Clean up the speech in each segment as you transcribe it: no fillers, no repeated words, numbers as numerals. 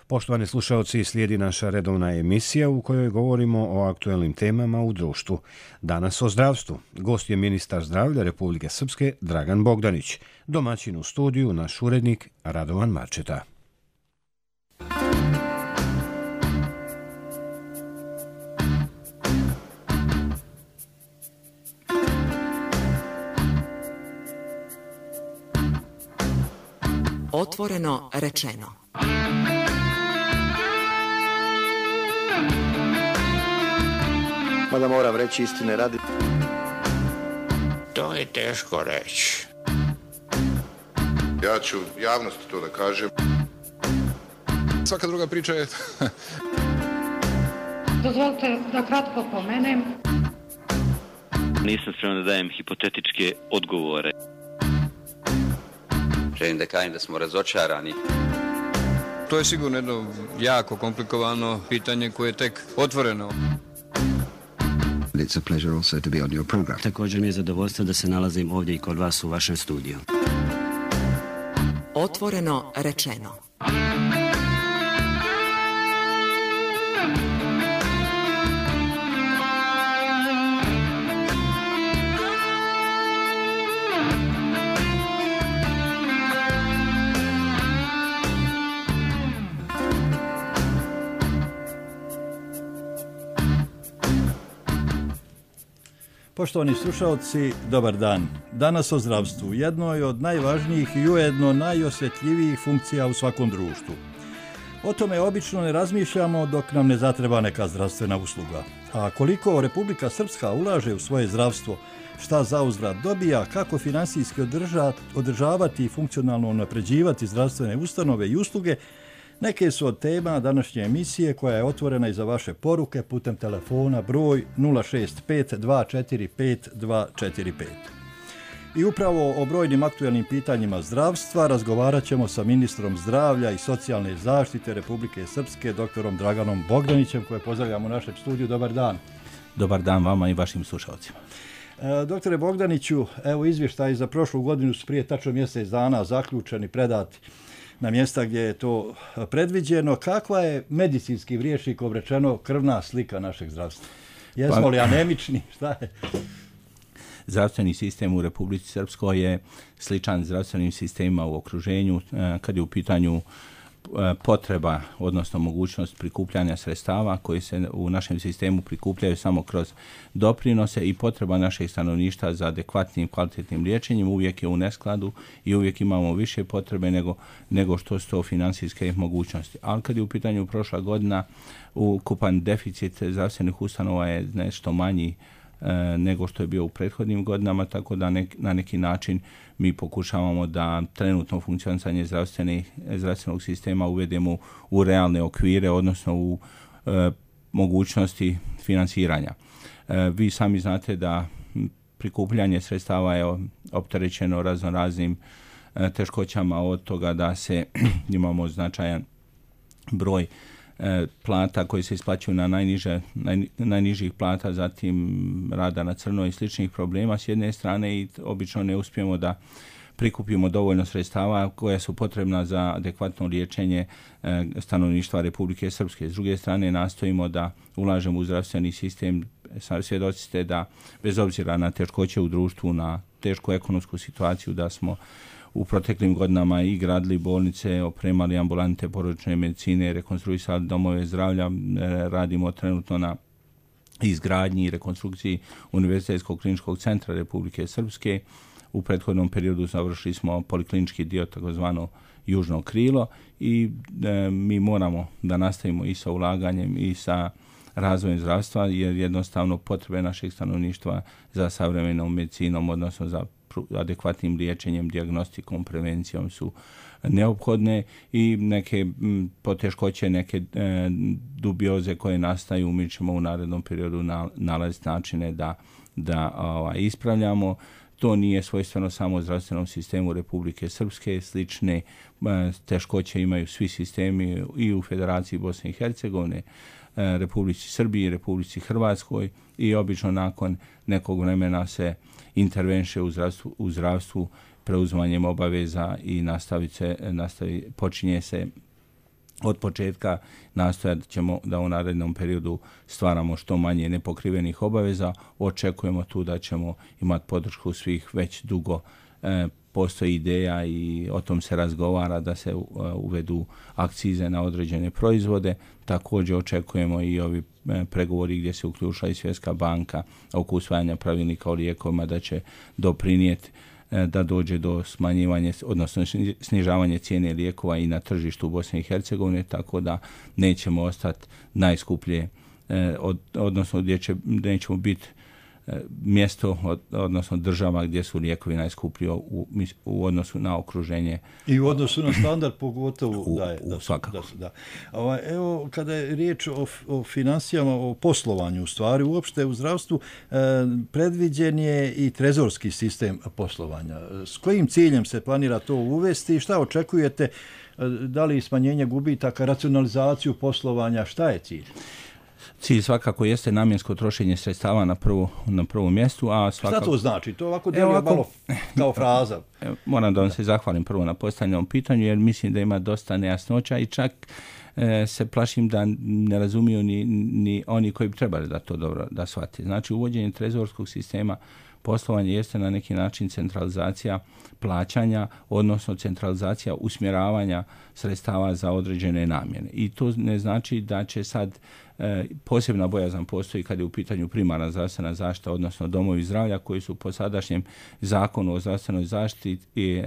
Poštovani slušalci, slijedi naša redovna emisija u kojoj govorimo o aktuelnim temama u društvu. Danas o zdravstvu. Gost je ministar zdravlja Republike Srpske Dragan Bogdanić. Domaćin u studiju naš urednik Radovan Marčeta. Otvoreno rečeno. Mada moram reći istine radi. To je teško reći. Ja ću javnosti to da kažem. Svaka druga priča je... Dozvolite da kratko pomenem. Nisam spreman da dajem hipotetičke odgovore. Želim da kažem da smo razočarani. To je sigurno jedno jako komplikovano pitanje koje je tek otvoreno. It's a pleasure also to be on your program. Također mi je zadovoljstvo da se nalazim ovdje i kod vas u vašem studiju. Otvoreno rečeno. Poštovani slušalci, dobar dan. Danas o zdravstvu, jednoj od najvažnijih i ujedno najosjetljivijih funkcija u svakom društvu. O tome obično ne razmišljamo dok nam ne zatreba neka zdravstvena usluga. A koliko Republika Srpska ulaže u svoje zdravstvo, šta zauzvrat dobija, kako finansijski održavati i funkcionalno unapređivati zdravstvene ustanove i usluge, neke su od tema današnje emisije koja je otvorena i za vaše poruke putem telefona broj 065-245-245. I upravo o brojnim aktuelnim pitanjima zdravstva razgovarat ćemo sa ministrom zdravlja i socijalne zaštite Republike Srpske, doktorom Draganom Bogdanićem, koje pozdravljamo u našem studiju. Dobar dan. Dobar dan vama i vašim slušalcima. Doktore Bogdaniću, evo izvještaj za prošlu godinu su prije tačno mjesec dana zaključeni, predati na mjesta gdje je to predviđeno. Kakva je medicinskim rječnikom rečeno krvna slika našeg zdravstva? Jesmo li anemični? Šta je? Zdravstveni sistem u Republici Srpskoj je sličan zdravstvenim sistemima u okruženju kad je u pitanju potreba, odnosno mogućnost prikupljanja sredstava koji se u našem sistemu prikupljaju samo kroz doprinose i potreba našeg stanovništva za adekvatnim kvalitetnim liječenjem uvijek je u neskladu i uvijek imamo više potrebe nego što su to financijske mogućnosti. Ali kad je u pitanju prošla godina, ukupan deficit zdravstvenih ustanova je nešto manji nego što je bio u prethodnim godinama, tako da na neki način mi pokušavamo da trenutno funkcionisanje zdravstvenog sistema uvedemo u realne okvire, odnosno u mogućnosti finansiranja. Vi sami znate da prikupljanje sredstava je opterećeno raznoraznim teškoćama, od toga da se imamo značajan broj plata koji se isplaćuju na najnižih plata, zatim rada na crno i sličnih problema s jedne strane i obično ne uspijemo da prikupimo dovoljno sredstava koja su potrebna za adekvatno liječenje stanovništva Republike Srpske. S druge strane nastojimo da ulažemo u zdravstveni sistem. Svjedoci ste da bez obzira na teškoće u društvu, na tešku ekonomsku situaciju, da smo u proteklim godinama i gradili bolnice, opremali ambulante porodične medicine, rekonstruisali domove zdravlja, radimo trenutno na izgradnji i rekonstrukciji Univerzitetskog kliničkog centra Republike Srpske. U prethodnom periodu završili smo poliklinički dio, takozvano južno krilo, i mi moramo da nastavimo i sa ulaganjem i sa razvojem zdravstva, jer jednostavno potrebe našeg stanovništva za savremenom medicinom, odnosno za adekvatnim liječenjem, dijagnostikom, prevencijom su neophodne i neke poteškoće, neke dubioze koje nastaju mi ćemo u narednom periodu nalaziti načine da ispravljamo. To nije svojstveno samo zdravstvenom sistemu Republike Srpske, slične teškoće imaju svi sistemi i u Federaciji Bosne i Hercegovine, Republici Srbiji, Republici Hrvatskoj, i obično nakon nekog vremena se intervenše u zdravstvu preuzimanjem obaveza i počinje se od početka nastojat ćemo da u narednom periodu stvaramo što manje nepokrivenih obaveza. Očekujemo tu da ćemo imati podršku svih, već dugo postoji ideja i o tom se razgovara da se uvedu akcize na određene proizvode. Također očekujemo i ovi pregovori gdje se uključila i Svjetska banka oko usvajanja pravilnika o lijekovima da će doprinijeti da dođe do smanjivanja, odnosno snižavanja cijene lijekova i na tržištu u Bosni i Hercegovini, tako da nećemo ostati najskuplje, odnosno gdje nećemo biti mjesto, odnosno država gdje su lijekovi najskuplji u odnosu na okruženje. I u odnosu na standard pogotovo svakako. Da. Evo, kada je riječ o financijama, o poslovanju u stvari, uopšte u zdravstvu, predviđen je i trezorski sistem poslovanja. S kojim ciljem se planira to uvesti i šta očekujete? Da li smanjenje gubitaka, racionalizaciju poslovanja, šta je cilj? Cilj svakako jeste namjensko trošenje sredstava na prvom mjestu, a svakako... Šta to znači? To ovako djeluje malo kao fraza. Moram da vam se zahvalim prvo na postavljenom pitanju, jer mislim da ima dosta nejasnoća i čak se plašim da ne razumiju ni oni koji bi trebali da to dobro da shvate. Znači, uvođenje trezorskog sistema poslovanja jeste na neki način centralizacija plaćanja, odnosno centralizacija usmjeravanja sredstava za određene namjene. I to ne znači da će sad posebna bojazan postoji kad je u pitanju primarna zdravstvena zaštita, odnosno domovi zdravlja koji su po sadašnjem zakonu o zdravstvenoj zaštiti i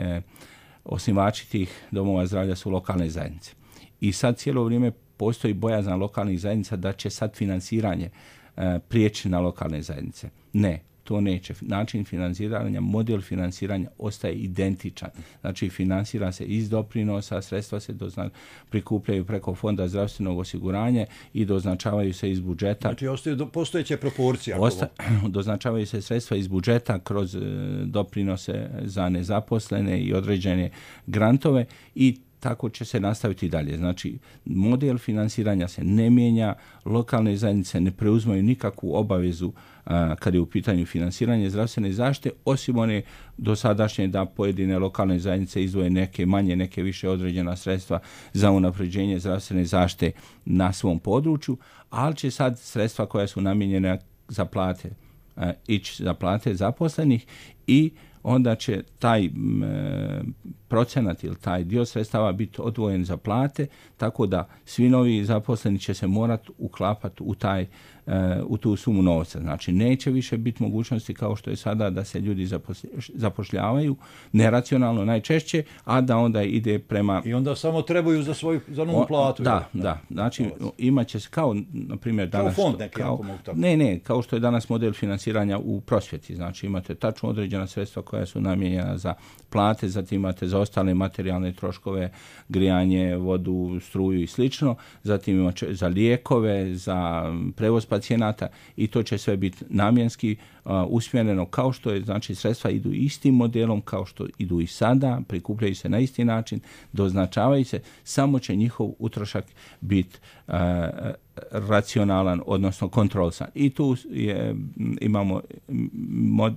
osnivači tih domova zdravlja su lokalne zajednice. I sad cijelo vrijeme postoji bojazan lokalnih zajednica da će sad financiranje prijeći na lokalne zajednice. Ne. To neće. Način financiranja, model financiranja ostaje identičan. Znači, financira se iz doprinosa, sredstva se prikupljaju preko Fonda zdravstvenog osiguranja i doznačavaju se iz budžeta. Znači, ostaju postojeće proporcije. Doznačavaju se sredstva iz budžeta kroz doprinose za nezaposlene i određene grantove i tako će se nastaviti dalje. Znači, model financiranja se ne mijenja, lokalne zajednice ne preuzmaju nikakvu obavezu kad je u pitanju financiranje zdravstvene zaštite, osim one dosadašnje da pojedine lokalne zajednice izdvoje neke manje, neke više određena sredstva za unapređenje zdravstvene zaštite na svom području, ali će sad sredstva koja su namijenjena za plate ići za plate zaposlenih i onda će taj procenat ili taj dio sredstava biti odvojen za plate, tako da svi novi zaposleni će se morati uklapati u tu sumu novca. Znači, neće više biti mogućnosti kao što je sada da se ljudi zapošljavaju neracionalno najčešće, a da onda ide prema... I onda samo trebaju za novu platu. Da. Znači, imat će se kao, na primjer, danas... Kao fond neki, ako mogu tako. Ne, kao što je danas model financiranja u prosvjeti. Znači, imate tačno određena sredstva koja su namijenjena za plate, zatim imate za ostale materijalne troškove, grijanje, vodu, struju i slično, zatim imate za lijekove, za prevoz pacijenata i to će sve biti namjenski usmjereno kao što je, znači sredstva idu istim modelom kao što idu i sada, prikupljaju se na isti način, doznačavaju se, samo će njihov utrošak biti racionalan, odnosno kontrolisan. I tu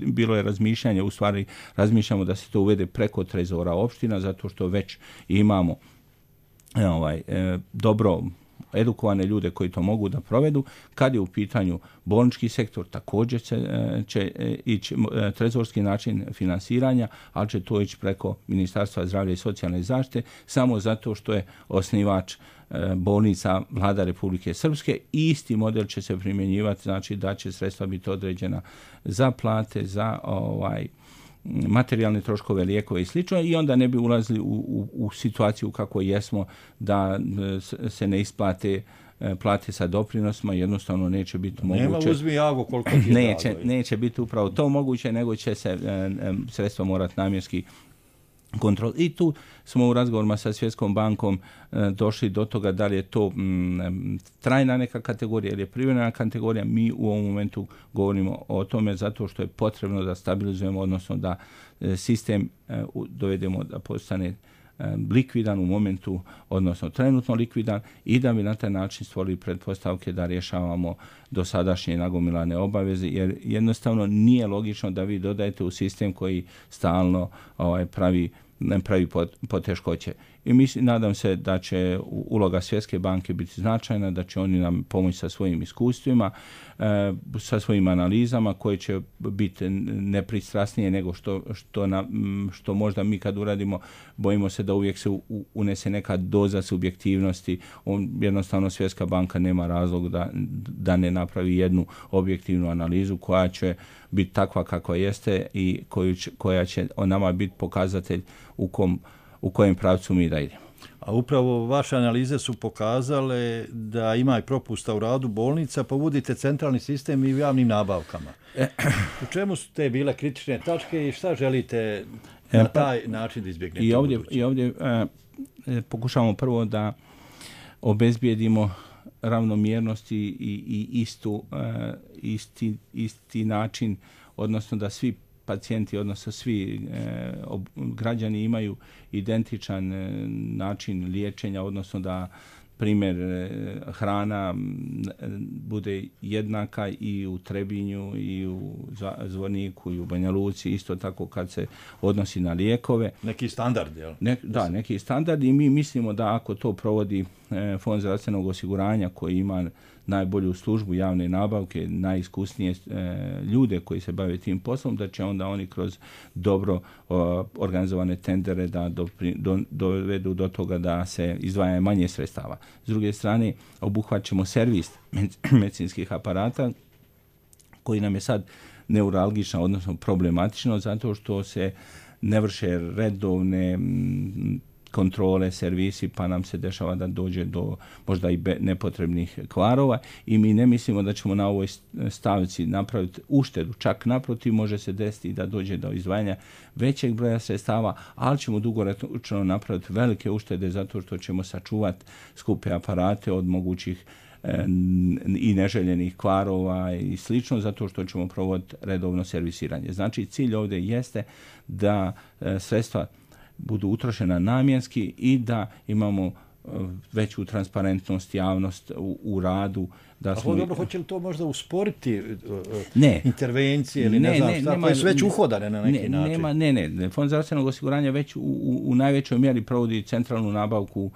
bilo je razmišljanje, u stvari razmišljamo da se to uvede preko trezora opština, zato što već imamo dobro edukovane ljude koji to mogu da provedu. Kad je u pitanju bolnički sektor, također će ići trezorski način finansiranja, ali će to ići preko Ministarstva zdravlja i socijalne zaštite, samo zato što je osnivač bolnica Vlada Republike Srpske i isti model će se primjenjivati, znači da će sredstva biti određena za plate, za materijalne troškove, lijekove i slično, i onda ne bi ulazili u situaciju kako jesmo da se ne isplate plate sa doprinosima, jednostavno neće biti moguće. Nema uzmi jago koliko ti neće biti upravo to moguće, nego će se sredstva morati namjenski kontrol. I tu smo u razgovorima sa Svjetskom bankom došli do toga da li je to trajna neka kategorija ili je privremena kategorija. Mi u ovom momentu govorimo o tome zato što je potrebno da stabilizujemo, odnosno da sistem dovedemo da postane likvidan u momentu, odnosno trenutno likvidan, i da bi na taj način stvorili pretpostavke da rješavamo dosadašnje nagomilane obaveze, jer jednostavno nije logično da vi dodajete u sistem koji stalno pravi pravi poteškoće. I nadam se da će uloga Svjetske banke biti značajna, da će oni nam pomoći sa svojim iskustvima, sa svojim analizama koje će biti nepristrasnije nego što možda mi kad uradimo, bojimo se da uvijek se unese neka doza subjektivnosti. Jednostavno Svjetska banka nema razlog da ne napravi jednu objektivnu analizu koja će biti takva kakva jeste i koja će o nama biti pokazatelj u kojem pravcu mi da idemo. A upravo vaše analize su pokazale da ima i propusta u radu bolnica, pa vodite centralni sistem i u javnim nabavkama. U čemu su te bile kritične tačke i šta želite na taj način da izbjegnete? I ovdje pokušavamo prvo da obezbijedimo ravnomjernost i isti način, odnosno da svi pacijenti, odnosno svi građani imaju identičan način liječenja, odnosno da primjer hrana bude jednaka i u Trebinju i u Zvorniku i u Banja Luci, isto tako kad se odnosi na lijekove. Neki standard, jel? Neki standard i mi mislimo da ako to provodi Fond zdravstvenog osiguranja koji ima najbolju službu javne nabavke, najiskusnije ljude koji se bave tim poslom, da će onda oni kroz dobro organizovane tendere da dovedu do toga da se izdvaja manje sredstava. S druge strane, obuhvaćamo servis medicinskih aparata koji nam je sad neuralgično, odnosno problematično, zato što se ne vrše redovne kontrole, servisi, pa nam se dešava da dođe do možda i nepotrebnih kvarova i mi ne mislimo da ćemo na ovoj stavci napraviti uštedu. Čak naprotiv može se desiti da dođe do izdvajanja većeg broja sredstava, ali ćemo dugoročno napraviti velike uštede zato što ćemo sačuvati skupe aparate od mogućih i neželjenih kvarova i slično, zato što ćemo provoditi redovno servisiranje. Znači, cilj ovdje jeste da sredstva budu utrošena namjenski i da imamo veću transparentnost, javnost u radu. Dobro, hoće li to možda usporiti intervencije ili ne znam šta, koje su već uhodane na neki način? Ne. Fond zdravstvenog osiguranja već u najvećoj mjeri provodi centralnu nabavku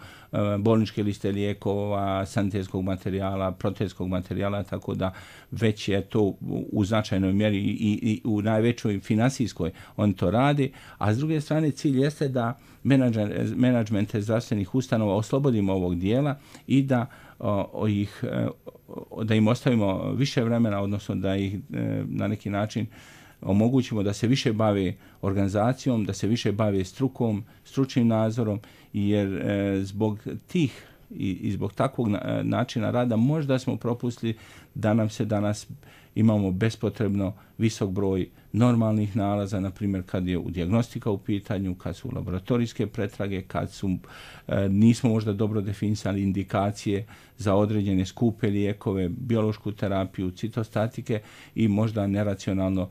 bolničke liste lijekova, sanitetskog materijala, protezskog materijala, tako da već je to u značajnoj mjeri i u najvećoj finansijskoj on to radi, a s druge strane cilj jeste da menadžmente zdravstvenih ustanova oslobodimo ovog dijela i da im ostavimo više vremena, odnosno da ih na neki način omogućimo da se više bave organizacijom, da se više bave strukom, stručnim nadzorom, jer zbog tih i zbog takvog načina rada možda smo propustili da nam se danas imamo bespotrebno visok broj normalnih nalaza, na primjer kad je u dijagnostika u pitanju, kad su laboratorijske pretrage, kad nismo možda dobro definisali indikacije za određene skupe lijekove, biološku terapiju, citostatike i možda neracionalno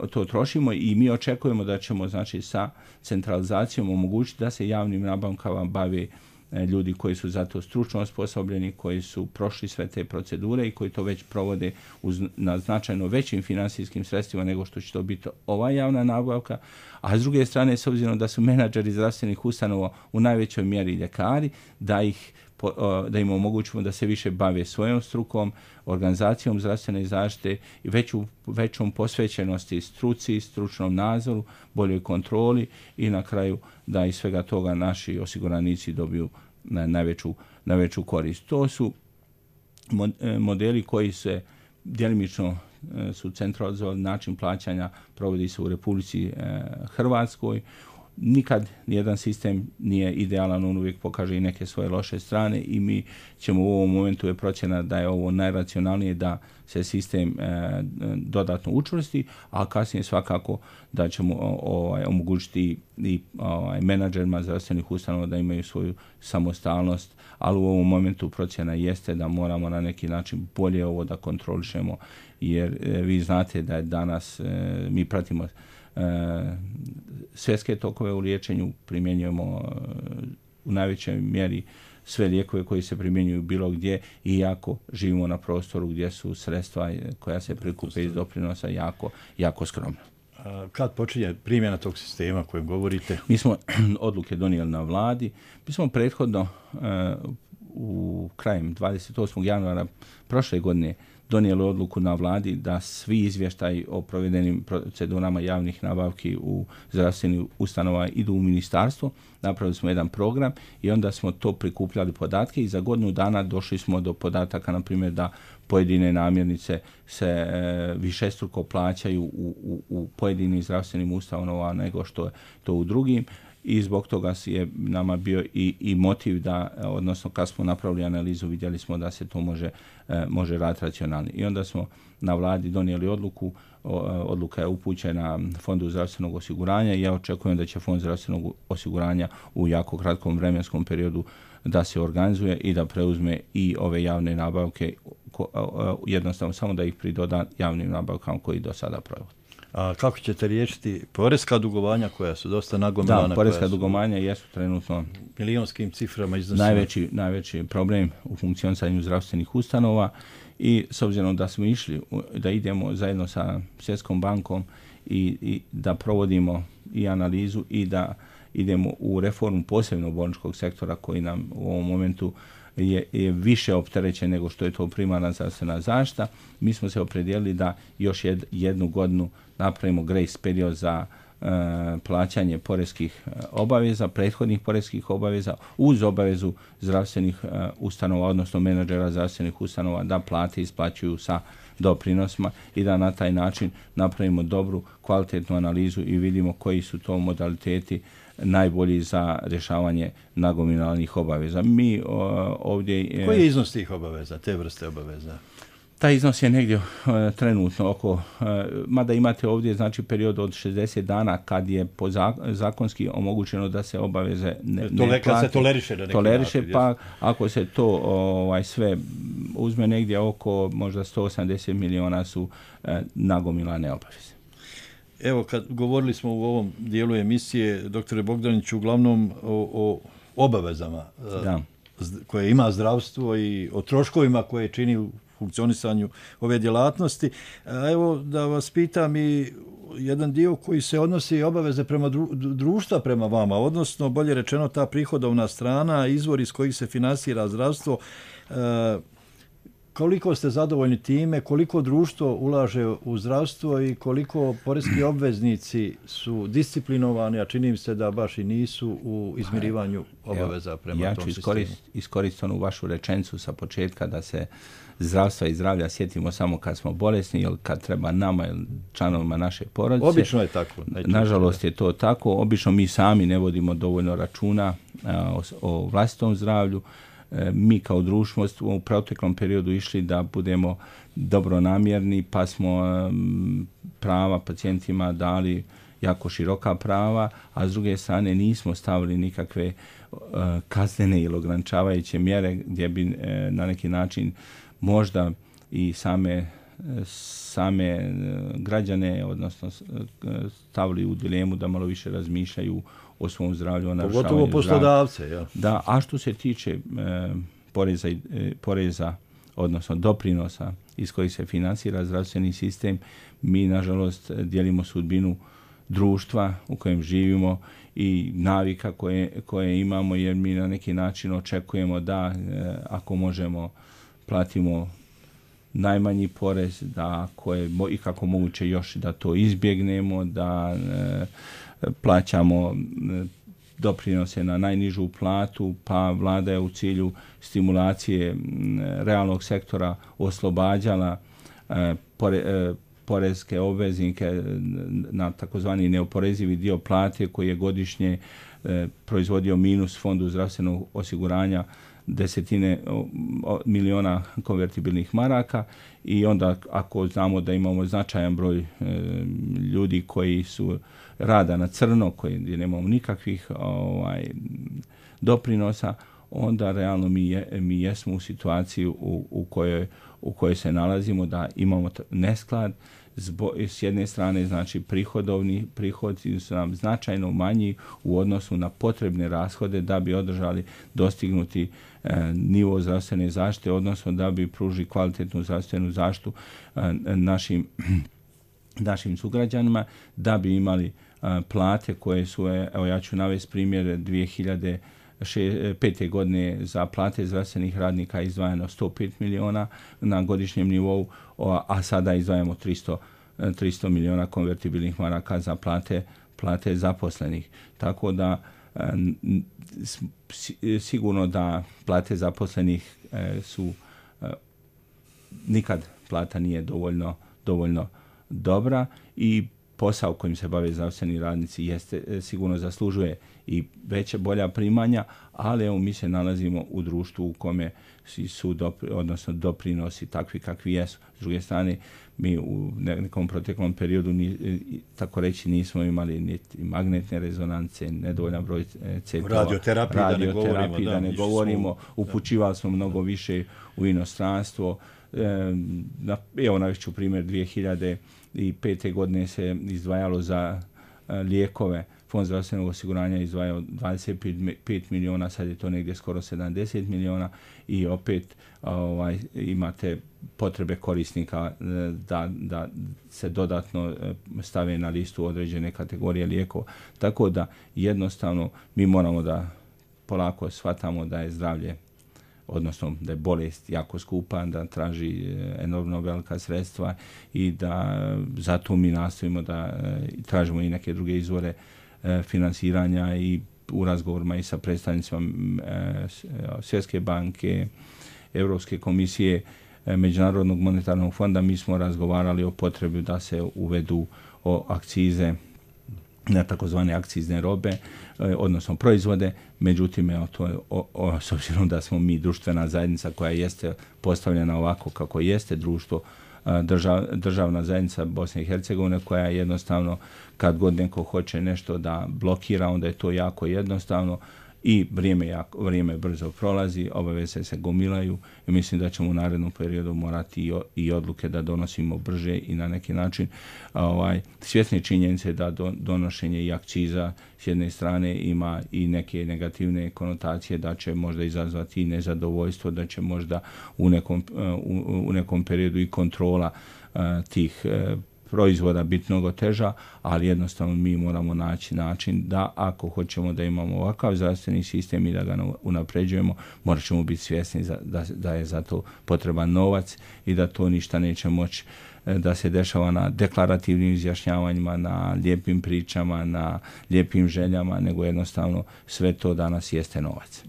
to trošimo i mi očekujemo da ćemo znači sa centralizacijom omogućiti da se javnim nabavkama bave ljudi koji su za to stručno osposobljeni, koji su prošli sve te procedure i koji to već provode na značajno većim financijskim sredstvima nego što će to biti ova javna nabavka, a s druge strane, s obzirom da su menadžeri zdravstvenih ustanova u najvećoj mjeri ljekari, da im omogućimo da se više bave svojom strukom, organizacijom zdravstvene zaštite i većom posvećenosti struci, stručnom nadzoru, boljoj kontroli i na kraju da iz svega toga naši osiguranici dobiju najveću korist. To su modeli koji se djelimično su centralizovali, način plaćanja provodi se u Republici Hrvatskoj. Nikad nijedan sistem nije idealan, on uvijek pokaže i neke svoje loše strane i mi ćemo u ovom momentu je procjena da je ovo najracionalnije da se sistem dodatno učvrsti, a kasnije svakako da ćemo omogućiti i menadžerima zdravstvenih ustanova da imaju svoju samostalnost, ali u ovom momentu procjena jeste da moramo na neki način bolje ovo da kontrolišemo, jer vi znate da je danas mi pratimo svjetske tokove u liječenju, primjenjujemo u najvećoj mjeri sve lijekove koji se primjenjuju bilo gdje, iako živimo na prostoru gdje su sredstva koja se prikupe iz doprinosa jako skromna. Kad počinje primjena tog sistema kojem govorite? Mi smo odluke donijeli na vladi. Mi smo prethodno u krajem 28. januara prošle godine donijeli odluku na vladi da svi izvještaji o provedenim procedurama javnih nabavki u zdravstvenim ustanova idu u ministarstvo. Napravili smo jedan program i onda smo to prikupljali podatke i za godinu dana došli smo do podataka, na primjer, da pojedine namirnice se višestruko plaćaju u pojedinim zdravstvenim ustanovama nego što je to u drugim. I zbog toga je nama bio i motiv da, odnosno kad smo napravili analizu, vidjeli smo da se to može raditi racionalno. I onda smo na vladi donijeli odluku, odluka je upućena Fondu zdravstvenog osiguranja i ja očekujem da će Fond zdravstvenog osiguranja u jako kratkom vremenskom periodu da se organizuje i da preuzme i ove javne nabavke, jednostavno samo da ih pridoda javnim nabavkama koji do sada provode. A kako ćete riješiti poreska dugovanja koja su dosta nagomilana? Da, poreska dugovanja jesu trenutno milionskim ciframa iznosima. Najveći problem u funkcionisanju zdravstvenih ustanova i s obzirom da smo išli, da idemo zajedno sa Svjetskom bankom i da provodimo i analizu i da idemo u reformu posebno bolničkog sektora koji nam u ovom momentu je više opterećen nego što je to primarna zdravstvena zaštita. Mi smo se opredijelili da još jednu godinu napravimo grace period za plaćanje poreskih obaveza, prethodnih poreskih obaveza, uz obavezu zdravstvenih ustanova, odnosno menadžera zdravstvenih ustanova da plate isplaćuju sa doprinosima i da na taj način napravimo dobru, kvalitetnu analizu i vidimo koji su to modaliteti najbolji za rješavanje nagomilanih obaveza. Mi ovdje... Koji je iznos tih obaveza, te vrste obaveza? Taj iznos je negdje trenutno oko, mada imate ovdje znači period od 60 dana kad je zakonski omogućeno da se obaveze ne plati. Se toleriše na neki način. Pa ako se to sve uzme negdje oko možda 180 miliona su nagomilane obaveze. Evo, kad govorili smo u ovom dijelu emisije, doktore Bogdaniću, uglavnom o obavezama koje ima zdravstvo i o troškovima koje čini u funkcionisanju ove djelatnosti. Evo da vas pitam i jedan dio koji se odnosi obaveze prema društva prema vama, odnosno bolje rečeno ta prihodovna strana, izvor iz kojih se finansira zdravstvo. Koliko ste zadovoljni time, koliko društvo ulaže u zdravstvo i koliko poreski obveznici su disciplinovani, a čini mi se da baš i nisu u izmirivanju obaveza prema tom sistemu? Ja ću iskoristiti onu vašu rečenicu sa početka da se zdravstva i zdravlja sjetimo samo kad smo bolesni ili kad treba nama ili članovima naše porodice. Obično je tako. Nažalost je to tako. Obično mi sami ne vodimo dovoljno računa o vlastitom zdravlju. Mi kao društvo u proteklom periodu išli da budemo dobronamjerni, pa smo prava pacijentima dali jako široka prava, a s druge strane nismo stavili nikakve kaznene ili ograničavajuće mjere gdje bi na neki način možda i same građane, odnosno stavili u dilemu da malo više razmišljaju o svom zdravlju. Pogotovo poslodavce. Ja. Da, a što se tiče poreza, odnosno doprinosa iz kojih se finansira zdravstveni sistem, mi nažalost dijelimo sudbinu društva u kojem živimo i navika koje imamo, jer mi na neki način očekujemo da ako možemo platimo najmanji porez, da ako je i kako moguće još da to izbjegnemo, da plaćamo doprinose na najnižu platu, pa vlada je u cilju stimulacije realnog sektora oslobađala porezke obveznike na takozvani neoporezivi dio plate koji je godišnje proizvodio minus Fondu zdravstvenog osiguranja desetine miliona konvertibilnih maraka i onda ako znamo da imamo značajan broj ljudi koji su rada na crno, koji nemamo nikakvih doprinosa, onda realno mi jesmo u situaciji u kojoj se nalazimo da imamo nesklad. S jedne strane, znači prihodi su nam značajno manji u odnosu na potrebne rashode da bi održali dostignuti nivo zdravstvene zaštite, odnosno da bi pružili kvalitetnu zdravstvenu zaštitu našim našim sugrađanima da bi imali plate koje su, evo ja ću navesti primjer 2005. godine za plate zdravstvenih radnika izdvajano 105 miliona na godišnjem nivou, a sada izdvajamo 300 miliona konvertibilnih maraka za plate zaposlenih. Tako da sigurno da plate zaposlenih su nikad plata nije dovoljno dobra i posao kojim se bave zdravstveni radnici jeste, sigurno zaslužuje i bolja primanja, ali evo mi se nalazimo u društvu u kome su odnosno doprinosi takvi kakvi jesu. S druge strane, mi u nekom proteklom periodu tako reći nismo imali niti magnetne rezonance, nedovoljan broj CT-ova, radioterapiji da ne govorimo, upućivali smo mnogo više u inostranstvo. Evo navešću primjer 2005. godine se izdvajalo za lijekove, Fond zdravstvenog osiguranja izdvajao 25 miliona, sad je to negdje skoro 70 miliona i opet imate potrebe korisnika da se dodatno stave na listu određene kategorije lijekova. Tako da jednostavno mi moramo da polako shvatamo da je zdravlje, odnosno da je bolest jako skupa, da traži enormno velika sredstva i da zato mi nastojimo da tražimo i neke druge izvore finansiranja i u razgovorima i sa predstavnicima Svjetske banke, Europske komisije, Međunarodnog monetarnog fonda. Mi smo razgovarali o potrebi da se uvedu akcize na takozvane akcizne robe, odnosno proizvode. Međutim, s obzirom da smo mi društvena zajednica koja jeste postavljena ovako kako jeste društvo, državna zajednica Bosne i Hercegovine, koja jednostavno kad god neko hoće nešto da blokira, onda je to jako jednostavno i vrijeme brzo prolazi, obaveze se gomilaju i mislim da ćemo u narednom periodu morati i odluke da donosimo brže i na neki način svjesni činjenice da donošenje i akciza s jedne strane ima i neke negativne konotacije, da će možda izazvati i nezadovoljstvo, da će možda u nekom periodu i kontrola tih proizvoda biti mnogo teža, ali jednostavno mi moramo naći način da ako hoćemo da imamo ovakav zdravstveni sistem i da ga unapređujemo, morat ćemo biti svjesni da je za to potreban novac i da to ništa neće moći da se dešava na deklarativnim izjašnjavanjima, na lijepim pričama, na lijepim željama, nego jednostavno sve to danas jeste novac.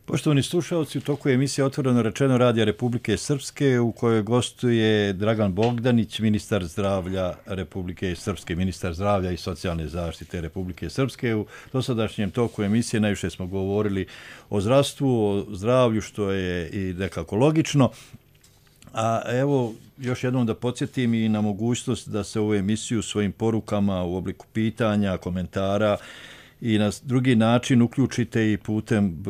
Poštovani slušalci, u toku je emisija Otvoreno rečeno Radija Republike Srpske u kojoj gostuje Dragan Bogdanić, ministar zdravlja Republike Srpske, ministar zdravlja i socijalne zaštite Republike Srpske. U dosadašnjem toku emisije najviše smo govorili o zdravstvu, o zdravlju, što je i nekako logično. A evo, još jednom da podsjetim i na mogućnost da se ovu emisiju svojim porukama u obliku pitanja, komentara i na drugi način uključite i putem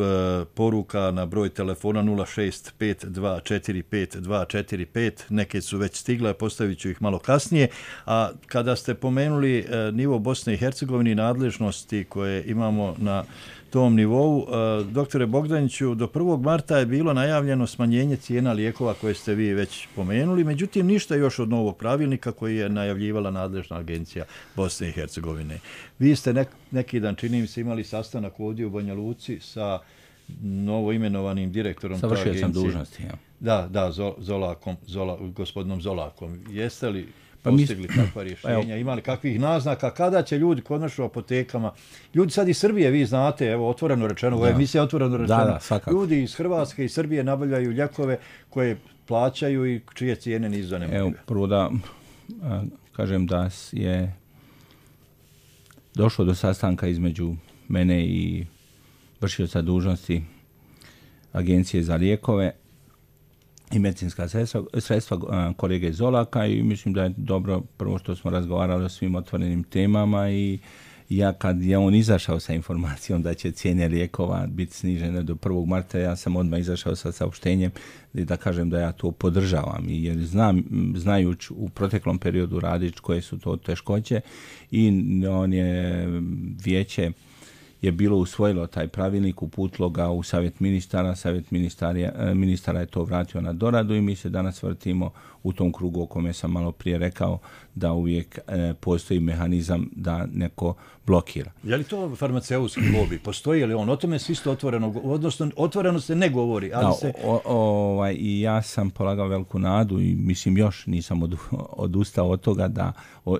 poruka na broj telefona 065245245. Neke su već stigle, postavit ću ih malo kasnije. A kada ste pomenuli nivo Bosne i Hercegovine i nadležnosti koje imamo na tom nivou, doktore Bogdaniću, do 1. marta je bilo najavljeno smanjenje cijena lijekova koje ste vi već pomenuli, međutim ništa još od novog pravilnika koji je najavljivala nadležna agencija Bosne i Hercegovine. Vi ste neki dan, čini mi se, imali sastanak ovdje u Banja Luci sa novoimenovanim direktorom te agencije. Završio sam dužnosti, ja. Da, gospodinom Zolakom. Jeste li postigli takva rješenja, imali kakvih naznaka, kada će ljudi konačno u apotekama, ljudi sad iz Srbije, vi znate, evo otvoreno rečeno, ovo je emisija Otvoreno rečeno, ljudi iz Hrvatske i Srbije nabavljaju lijekove koje plaćaju i čije cijene nisu zanemljive. Evo, prvo da kažem da je došlo do sastanka između mene i vršioca dužnosti Agencije za lijekove i medicinska sredstva kolege Zolaka i mislim da je dobro prvo što smo razgovarali o svim otvorenim temama i ja kad je on izašao sa informacijom da će cijene lijekova biti snižene do 1. marta, ja sam odmah izašao sa saopštenjem da kažem da ja to podržavam jer znajući u proteklom periodu radić koje su to teškoće i on je vijeće je bilo usvojilo taj pravilnik, uputilo ga u savjet ministara, ministara je to vratio na doradu i mi se danas vrtimo u tom krugu o kome sam malo prije rekao da uvijek postoji mehanizam da neko blokira. Je li to farmaceutski lobby? Postoji li on? O tome se isto otvoreno se ne govori. Ali i ja sam polagao veliku nadu i mislim još nisam odustao od toga da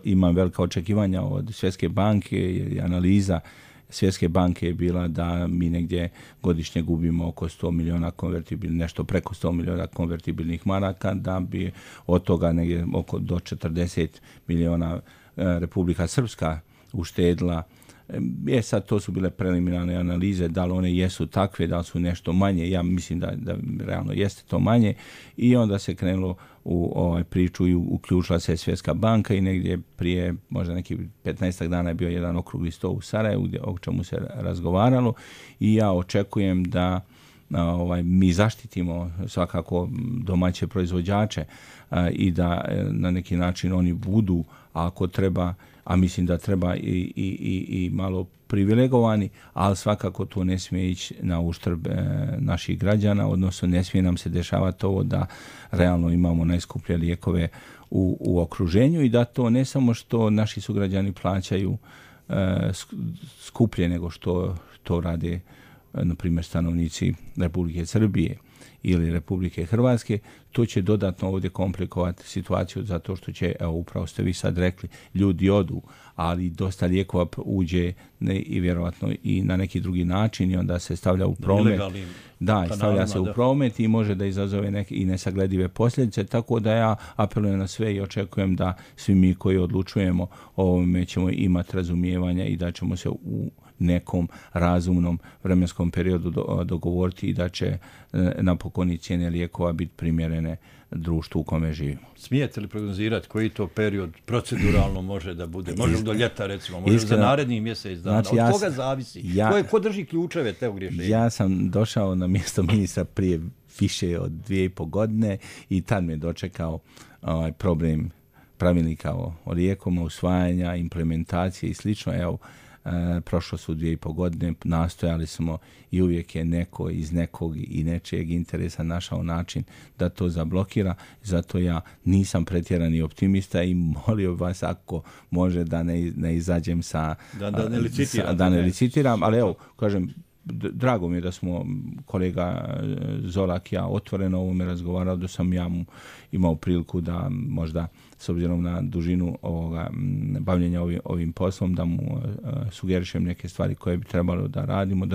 imam velika očekivanja od Svjetske banke i analiza Svjetske banke je bila da mi negdje godišnje gubimo oko 100 miliona nešto preko 100 miliona konvertibilnih maraka, da bi od toga negdje do 40 miliona Republika Srpska uštedila. Sad to su bile preliminarne analize, da li one jesu takve, da li su nešto manje, ja mislim da realno jeste to manje i onda se krenulo u priču i uključila se Svjetska banka i negdje prije možda neki 15 dana je bio jedan okrugli sto u Sarajevu o čemu se razgovaralo i ja očekujem da mi zaštitimo svakako domaće proizvođače i da na neki način oni budu, ako treba, a mislim da treba i malo privilegovani, ali svakako to ne smije ići na uštrb naših građana, odnosno ne smije nam se dešavati ovo da realno imamo najskuplje lijekove u okruženju i da to ne samo što naši sugrađani plaćaju skuplje nego što to rade na primjer stanovnici Republike Srbije ili Republike Hrvatske, to će dodatno ovdje komplikovati situaciju zato što će, evo upravo ste vi sad rekli, ljudi odu, ali dosta lijekova uđe i vjerojatno i na neki drugi način i onda se stavlja u promet. Stavlja se u promet i može da izazove neke i nesagledive posljedice, tako da ja apelujem na sve i očekujem da svi mi koji odlučujemo o ovome ćemo imati razumijevanja i da ćemo se u nekom razumnom vremenskom periodu dogovoriti i da će napokon i cijene lijekova biti primjerene društvu u kome živimo. Smijete li prognozirati koji to period proceduralno može da bude? Može do ljeta recimo, može za narednih mjesec dana. Znači, od koga zavisi? Ko drži ključeve tog rješenja? Ja sam došao na mjesto ministra prije više od 2,5 godine i tad me dočekao problem pravilnika o lijekovima, usvajanja, implementacije i slično. Evo, prošlo su 2,5 godine, nastojali smo i uvijek je neko iz nekog i nečijeg interesa našao način da to zablokira, zato ja nisam pretjerani optimista i molio vas ako može da ne izađem da ne licitiram, ali evo, kažem, drago mi je da smo kolega Zorak i ja otvoreno o ovome razgovarali, da sam ja imao priliku da možda s obzirom na dužinu bavljenja ovim poslom da mu sugerišem neke stvari koje bi trebalo da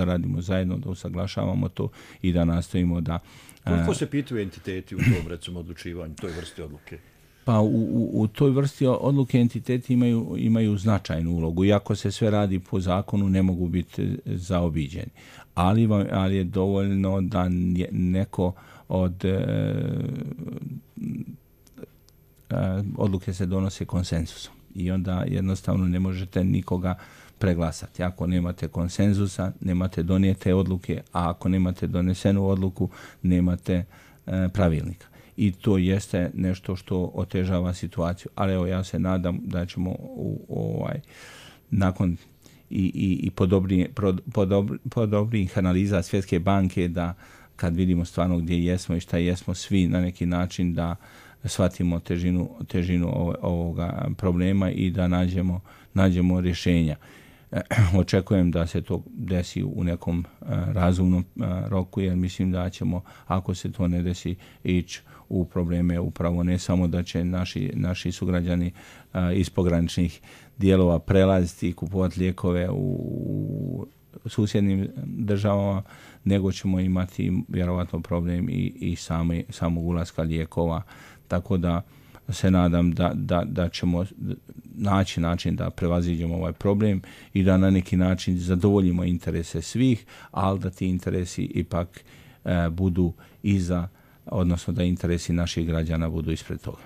radimo zajedno, da usaglašavamo to i da nastojimo da... Koliko se pitaju entiteti u tom recimo odlučivanju, toj vrsti odluke? Pa u toj vrsti odluke entiteti imaju značajnu ulogu. Iako se sve radi po zakonu, ne mogu biti zaobiđeni. Ali je dovoljno da neko od odluke se donose konsenzusom. I onda jednostavno ne možete nikoga preglasati. Ako nemate konsenzusa, nemate donijete odluke, a ako nemate donesenu odluku, nemate pravilnika. I to jeste nešto što otežava situaciju. Ali evo, ja se nadam da ćemo nakon i po dobrih analiza Svjetske banke da kad vidimo stvarno gdje jesmo i šta jesmo svi na neki način da shvatimo težinu ovoga problema i da nađemo rješenja. Očekujem da se to desi u nekom razumnom roku, jer mislim da ćemo, ako se to ne desi, ići u probleme upravo ne samo da će naši sugrađani iz pograničnih dijelova prelaziti i kupovati lijekove u susjednim državama, nego ćemo imati vjerovatno problem i samog ulaska lijekova. Tako da se nadam da ćemo naći način da prevaziđemo ovaj problem i da na neki način zadovoljimo interese svih, ali da ti interesi ipak budu iza, odnosno da interesi naših građana budu ispred toga.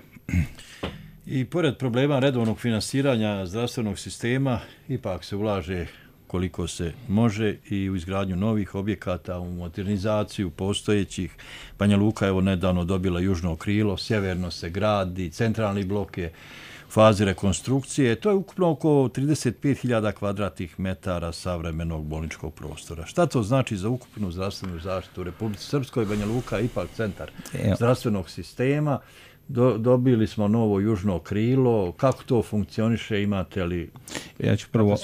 I pored problema redovnog finansiranja zdravstvenog sistema, ipak se ulaže koliko se može i u izgradnju novih objekata, u modernizaciju postojećih. Banja Luka je nedavno dobila južno krilo, sjeverno se gradi, centralni blok je fazi rekonstrukcije. To je ukupno oko 35.000 kvadratnih metara savremenog bolničkog prostora. Šta to znači za ukupnu zdravstvenu zaštitu u Republici Srpskoj? Banja Luka je ipak centar zdravstvenog sistema. Dobili smo novo južno krilo. Kako to funkcioniše? Imate li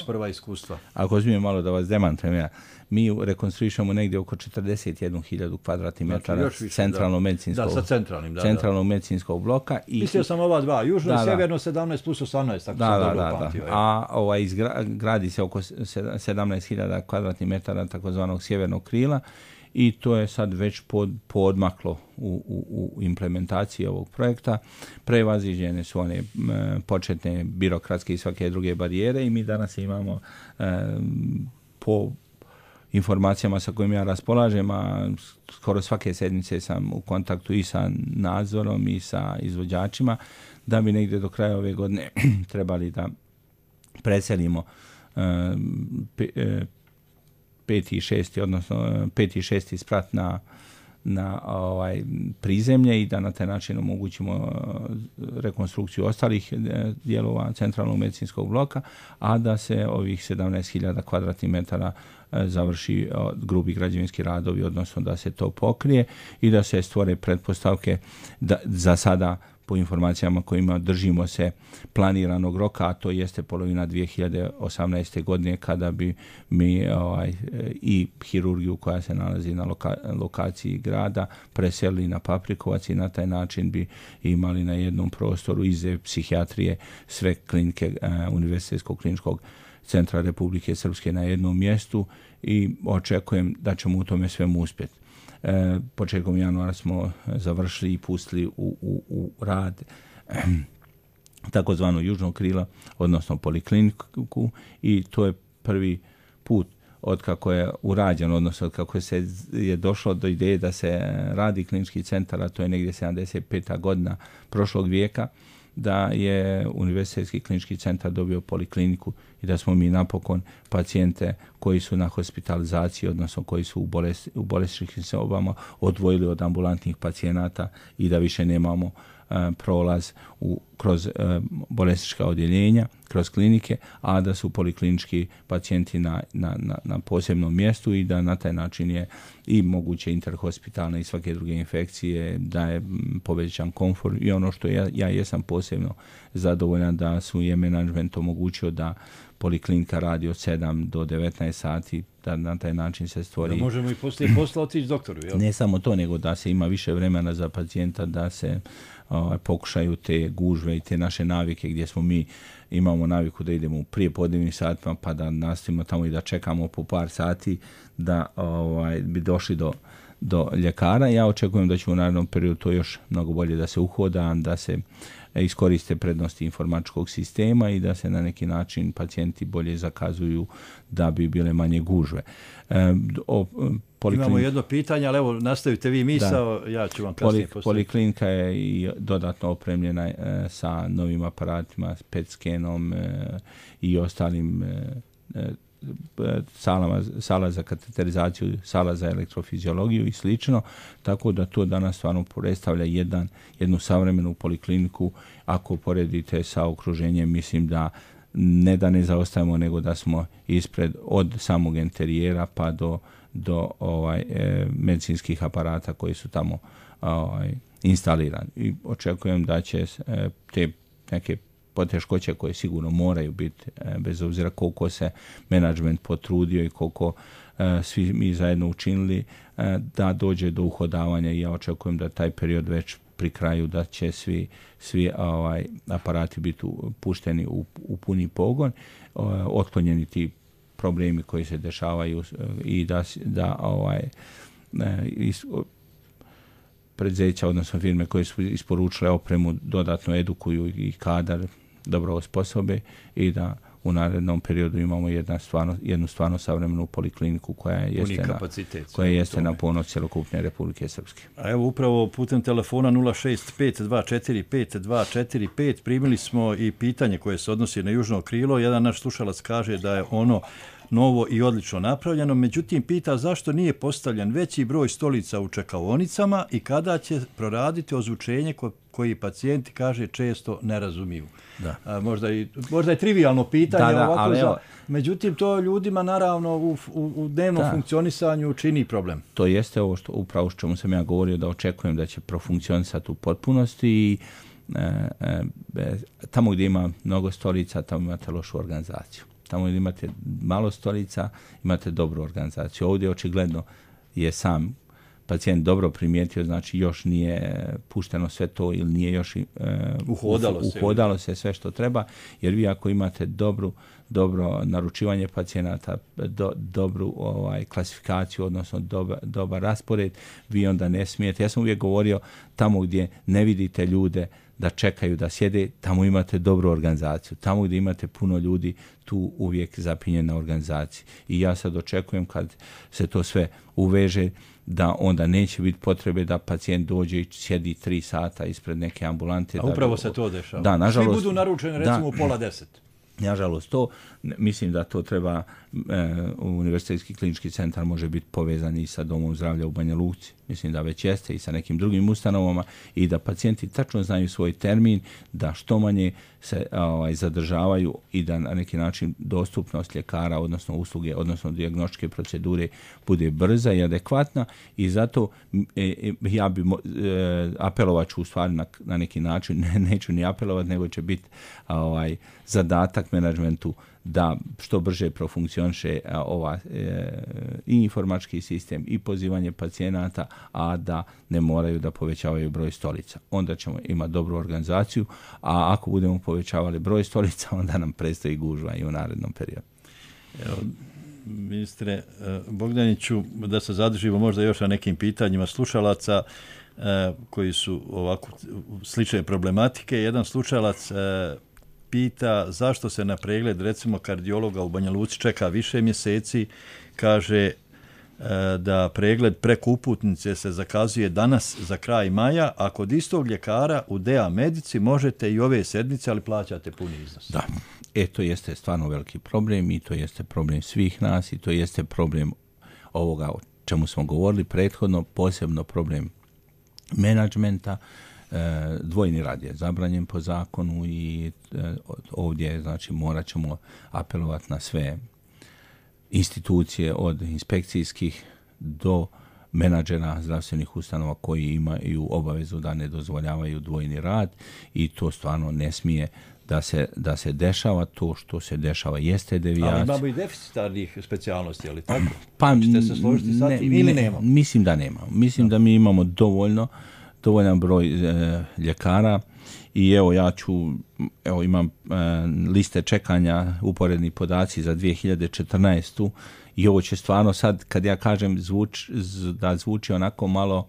prva iskustva? Ako smijem malo da vas demantujem, mi rekonstruišemo negdje oko 41.000 kvadratnih metara centralnog medicinskog bloka. Mislio sam ova dva, južno i sjeverno 17 plus 18, tako sam dobro upamtio. A gradi se oko 17.000 kvadratnih metara takozvanog sjevernog krila i to je sad već podmaklo u implementaciji ovog projekta. Prevaziđene su one početne birokratske i svake druge barijere i mi danas imamo po informacijama sa kojim ja raspolažem, a skoro svake sedmice sam u kontaktu i sa nadzorom i sa izvođačima, da bi negdje do kraja ove godine trebali da preselimo 5. i 6. odnosno 5. i 6. sprat na prizemlje i da na taj način omogućimo rekonstrukciju ostalih dijelova centralnog medicinskog bloka, a da se ovih 17.000 kvadratnih metara završi grubi građevinski radovi, odnosno da se to pokrije i da se stvore pretpostavke da za sada po informacijama kojima držimo se planiranog roka, a to jeste polovina 2018. godine kada bi mi i hirurgiju koja se nalazi na lokaciji grada preselili na Paprikovac i na taj način bi imali na jednom prostoru iz psihijatrije sve klinike Univerzitetskog kliničkog centra Republike Srpske na jednom mjestu i očekujem da ćemo u tome svemu uspjeti. Početkom januara smo završili i pustili u rad takozvano južno krilo, odnosno polikliniku i to je prvi put otkako je urađeno, odnosno otkako je došlo do ideje da se radi klinički centar, a to je negdje 75. godina prošlog vijeka, da je Univerzitetski klinički centar dobio polikliniku i da smo mi napokon pacijente koji su na hospitalizaciji, odnosno koji su u bolesničkim sobama, odvojili od ambulantnih pacijenata i da više nemamo prolaz kroz bolesnička odjeljenja, kroz klinike, a da su poliklinički pacijenti na posebnom mjestu i da na taj način je i moguće interhospitalne i svake druge infekcije, da je povećan komfort i ono što ja jesam posebno zadovoljan da su je menadžment omogućio da poliklinika radi od 7 do 19 sati, da na taj način se stvori... Da možemo i poslije posla otići doktoru, jel? Ne samo to, nego da se ima više vremena za pacijenta, da se pokušaju te gužve i te naše navike gdje mi imamo naviku da idemo u prije podnevnim satima pa da nastavimo tamo i da čekamo po par sati da bi došli do ljekara. Ja očekujem da će u narednom periodu to još mnogo bolje da se uhoda, da se iskoriste prednosti informatičkog sistema i da se na neki način pacijenti bolje zakazuju da bi bile manje gužve. Imamo jedno pitanje, ali evo nastavite vi misao, ja ću vam kasnije postaviti. Poliklinika je i dodatno opremljena sa novim aparatima, PET skenom i ostalim sala za kateterizaciju, sala za elektrofiziologiju i slično, tako da to danas stvarno predstavlja jednu savremenu polikliniku. Ako poredite sa okruženjem, mislim da ne zaostajemo, nego da smo ispred od samog interijera pa do medicinskih aparata koji su tamo instalirani. I očekujem da će te neke poteškoće koje sigurno moraju biti, bez obzira koliko se menadžment potrudio i koliko svi mi zajedno učinili, da dođe do uhodavanja i ja očekujem da taj period već pri kraju, da će svi aparati biti pušteni u puni pogon, otklonjeni ti problemi koji se dešavaju i da preduzeća, odnosno firme koje su isporučile opremu dodatno edukuju i kadar dobro osposobe i da u narednom periodu imamo jednu stvarno savremenu polikliniku koja jeste na ponos cjelokupne Republike Srpske. A evo upravo putem telefona 065245245 primili smo i pitanje koje se odnosi na južno krilo. Jedan naš slušalac kaže da je ono novo i odlično napravljeno. Međutim, pita zašto nije postavljen veći broj stolica u čekaonicama i kada će proraditi ozvučenje koji pacijenti, kaže, često ne razumiju. Da. Možda je trivijalno pitanje, ali međutim, to ljudima naravno u dnevnom funkcionisanju čini problem. To jeste ovo upravo što sam ja govorio, da očekujem da će profunkcionisati u potpunosti i tamo gdje ima mnogo stolica, tamo imate lošu organizaciju. Tamo gdje imate malo stolica, imate dobru organizaciju. Ovdje očigledno je sam pacijent dobro primijetio, znači još nije pušteno sve to ili nije još uhodalo se sve što treba, jer vi ako imate dobro naručivanje pacijenata, dobru klasifikaciju, odnosno dobar raspored, vi onda ne smijete. Ja sam uvijek govorio, tamo gdje ne vidite ljude da čekaju, da sjede, tamo imate dobru organizaciju. Tamo gdje imate puno ljudi, tu uvijek zapinje na organizaciji. I ja sad očekujem kad se to sve uveže, da onda neće biti potrebe da pacijent dođe i sjedi 3 sata ispred neke ambulante. A upravo se to dešava. Da, nažalost, svi budu naručeni recimo u 9:30. Nažalost, mislim da to treba, Univerzitetski klinički centar može biti povezan i sa Domom zdravlja u Banja Luci. Mislim da već jeste i sa nekim drugim ustanovama i da pacijenti tačno znaju svoj termin, da što manje se zadržavaju i da na neki način dostupnost ljekara, odnosno usluge, odnosno dijagnostičke procedure bude brza i adekvatna i zato ja bi apelovat ću u stvari na neki način, neću ni apelovat, nego će biti zadatak menadžmentu da što brže profunkcioniše i informatički sistem i pozivanje pacijenata, a da ne moraju da povećavaju broj stolica. Onda ćemo imati dobru organizaciju, a ako budemo povećavali broj stolica, onda nam predstoji gužva i u narednom periodu. Evo, ministre Bogdaniću, da se zadržimo možda još na nekim pitanjima slušalaca koji su ovako slične problematike. Jedan slušalac pita zašto se na pregled recimo kardiologa u Banja Luci čeka više mjeseci, kaže da pregled preko uputnice se zakazuje danas za kraj maja, a kod istog ljekara u DA Medici možete i ove sedmice, ali plaćate puni iznos. Da, to jeste stvarno veliki problem i to jeste problem svih nas i to jeste problem ovoga o čemu smo govorili prethodno, posebno problem menadžmenta. Dvojni rad je zabranjen po zakonu i ovdje znači morat ćemo apelovati na sve institucije od inspekcijskih do menadžera zdravstvenih ustanova koji imaju obavezu da ne dozvoljavaju dvojni rad i to stvarno ne smije da se dešava. To što se dešava jeste devijacija. Ali imamo i deficitarnih specijalnosti, ali tako? Pa, ćete se složiti sa tim ili nema? Mislim da nema. Mislim da mi imamo dovoljan broj ljekara i imam liste čekanja, uporedni podaci za 2014. i ovo će stvarno sad, kad ja kažem da zvuči onako malo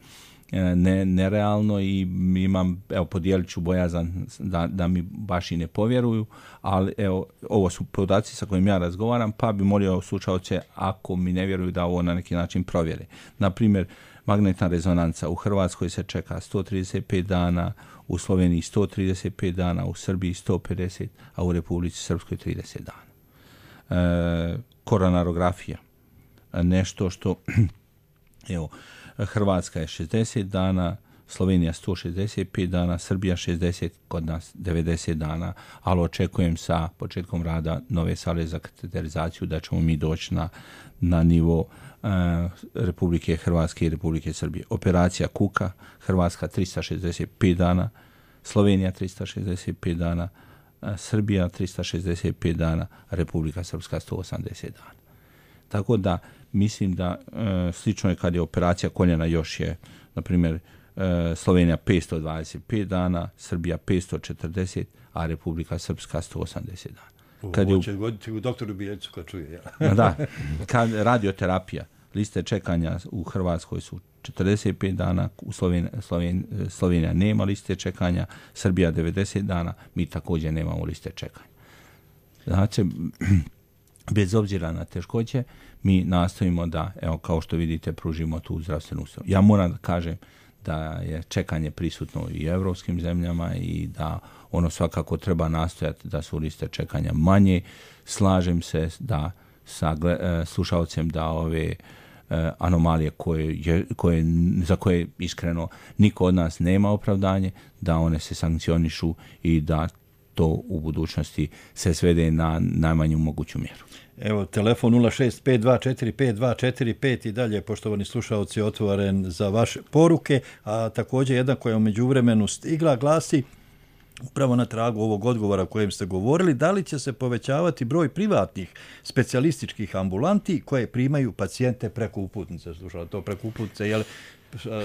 nerealno i imam, podijelit ću bojazan da mi baš i ne povjeruju, ali ovo su podaci sa kojim ja razgovaram, pa bi molio slušaoce, ako mi ne vjeruju, da ovo na neki način provjere. Na primjer, magnetna rezonanca u Hrvatskoj se čeka 135 dana, u Sloveniji 135 dana, u Srbiji 150, a u Republici Srpskoj 30 dana. Koronarografija, nešto što, Hrvatska je 60 dana, Slovenija 165 dana, Srbija 60, kod nas 90 dana, ali očekujem sa početkom rada nove sale za kateterizaciju da ćemo mi doći na nivo Republike Hrvatske i Republike Srbije. Operacija kuka, Hrvatska 365 dana, Slovenija 365 dana, Srbija 365 dana, Republika Srpska 180 dana. Tako da mislim da slično je kad je operacija koljena, još je, na primjer, Slovenija 525 dana, Srbija 540, a Republika Srpska 180 dana. Ovo će goditi u doktoru Bijeljcu kad čuje. Da, kad radioterapija, liste čekanja u Hrvatskoj su 45 dana, u Slovenija nema liste čekanja, Srbija 90 dana, mi također nemamo liste čekanja. Znači, bez obzira na teškoće, mi nastojimo da, kao što vidite, pružimo tu zdravstvenu uslugu. Ja moram da kažem da je čekanje prisutno i u evropskim zemljama i da ono svakako treba nastojati da su liste čekanja manje. Slažem se da sa slušalcem da ove anomalije za koje iskreno niko od nas nema opravdanje, da one se sankcionišu i da to u budućnosti se svede na najmanju moguću mjeru. Evo, telefon 065245245 i dalje, poštovani slušalci, otvoren za vaše poruke, a također jedna koja u međuvremenu stigla glasi, upravo na tragu ovog odgovora o kojem ste govorili, da li će se povećavati broj privatnih specijalističkih ambulanti koje primaju pacijente preko uputnice? Slušao, to preko uputnice, jel,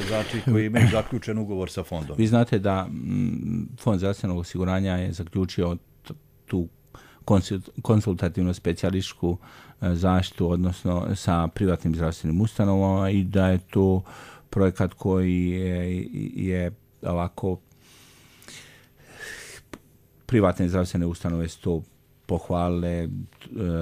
znači koji imaju zaključen ugovor sa fondom? Vi znate da Fond zdravstvenog osiguranja je zaključio tu konsultativno specijalističku zaštitu, odnosno sa privatnim zdravstvenim ustanovama, i da je to projekat koji je ovako, privatne zdravstvene ustanove su to pohvalile,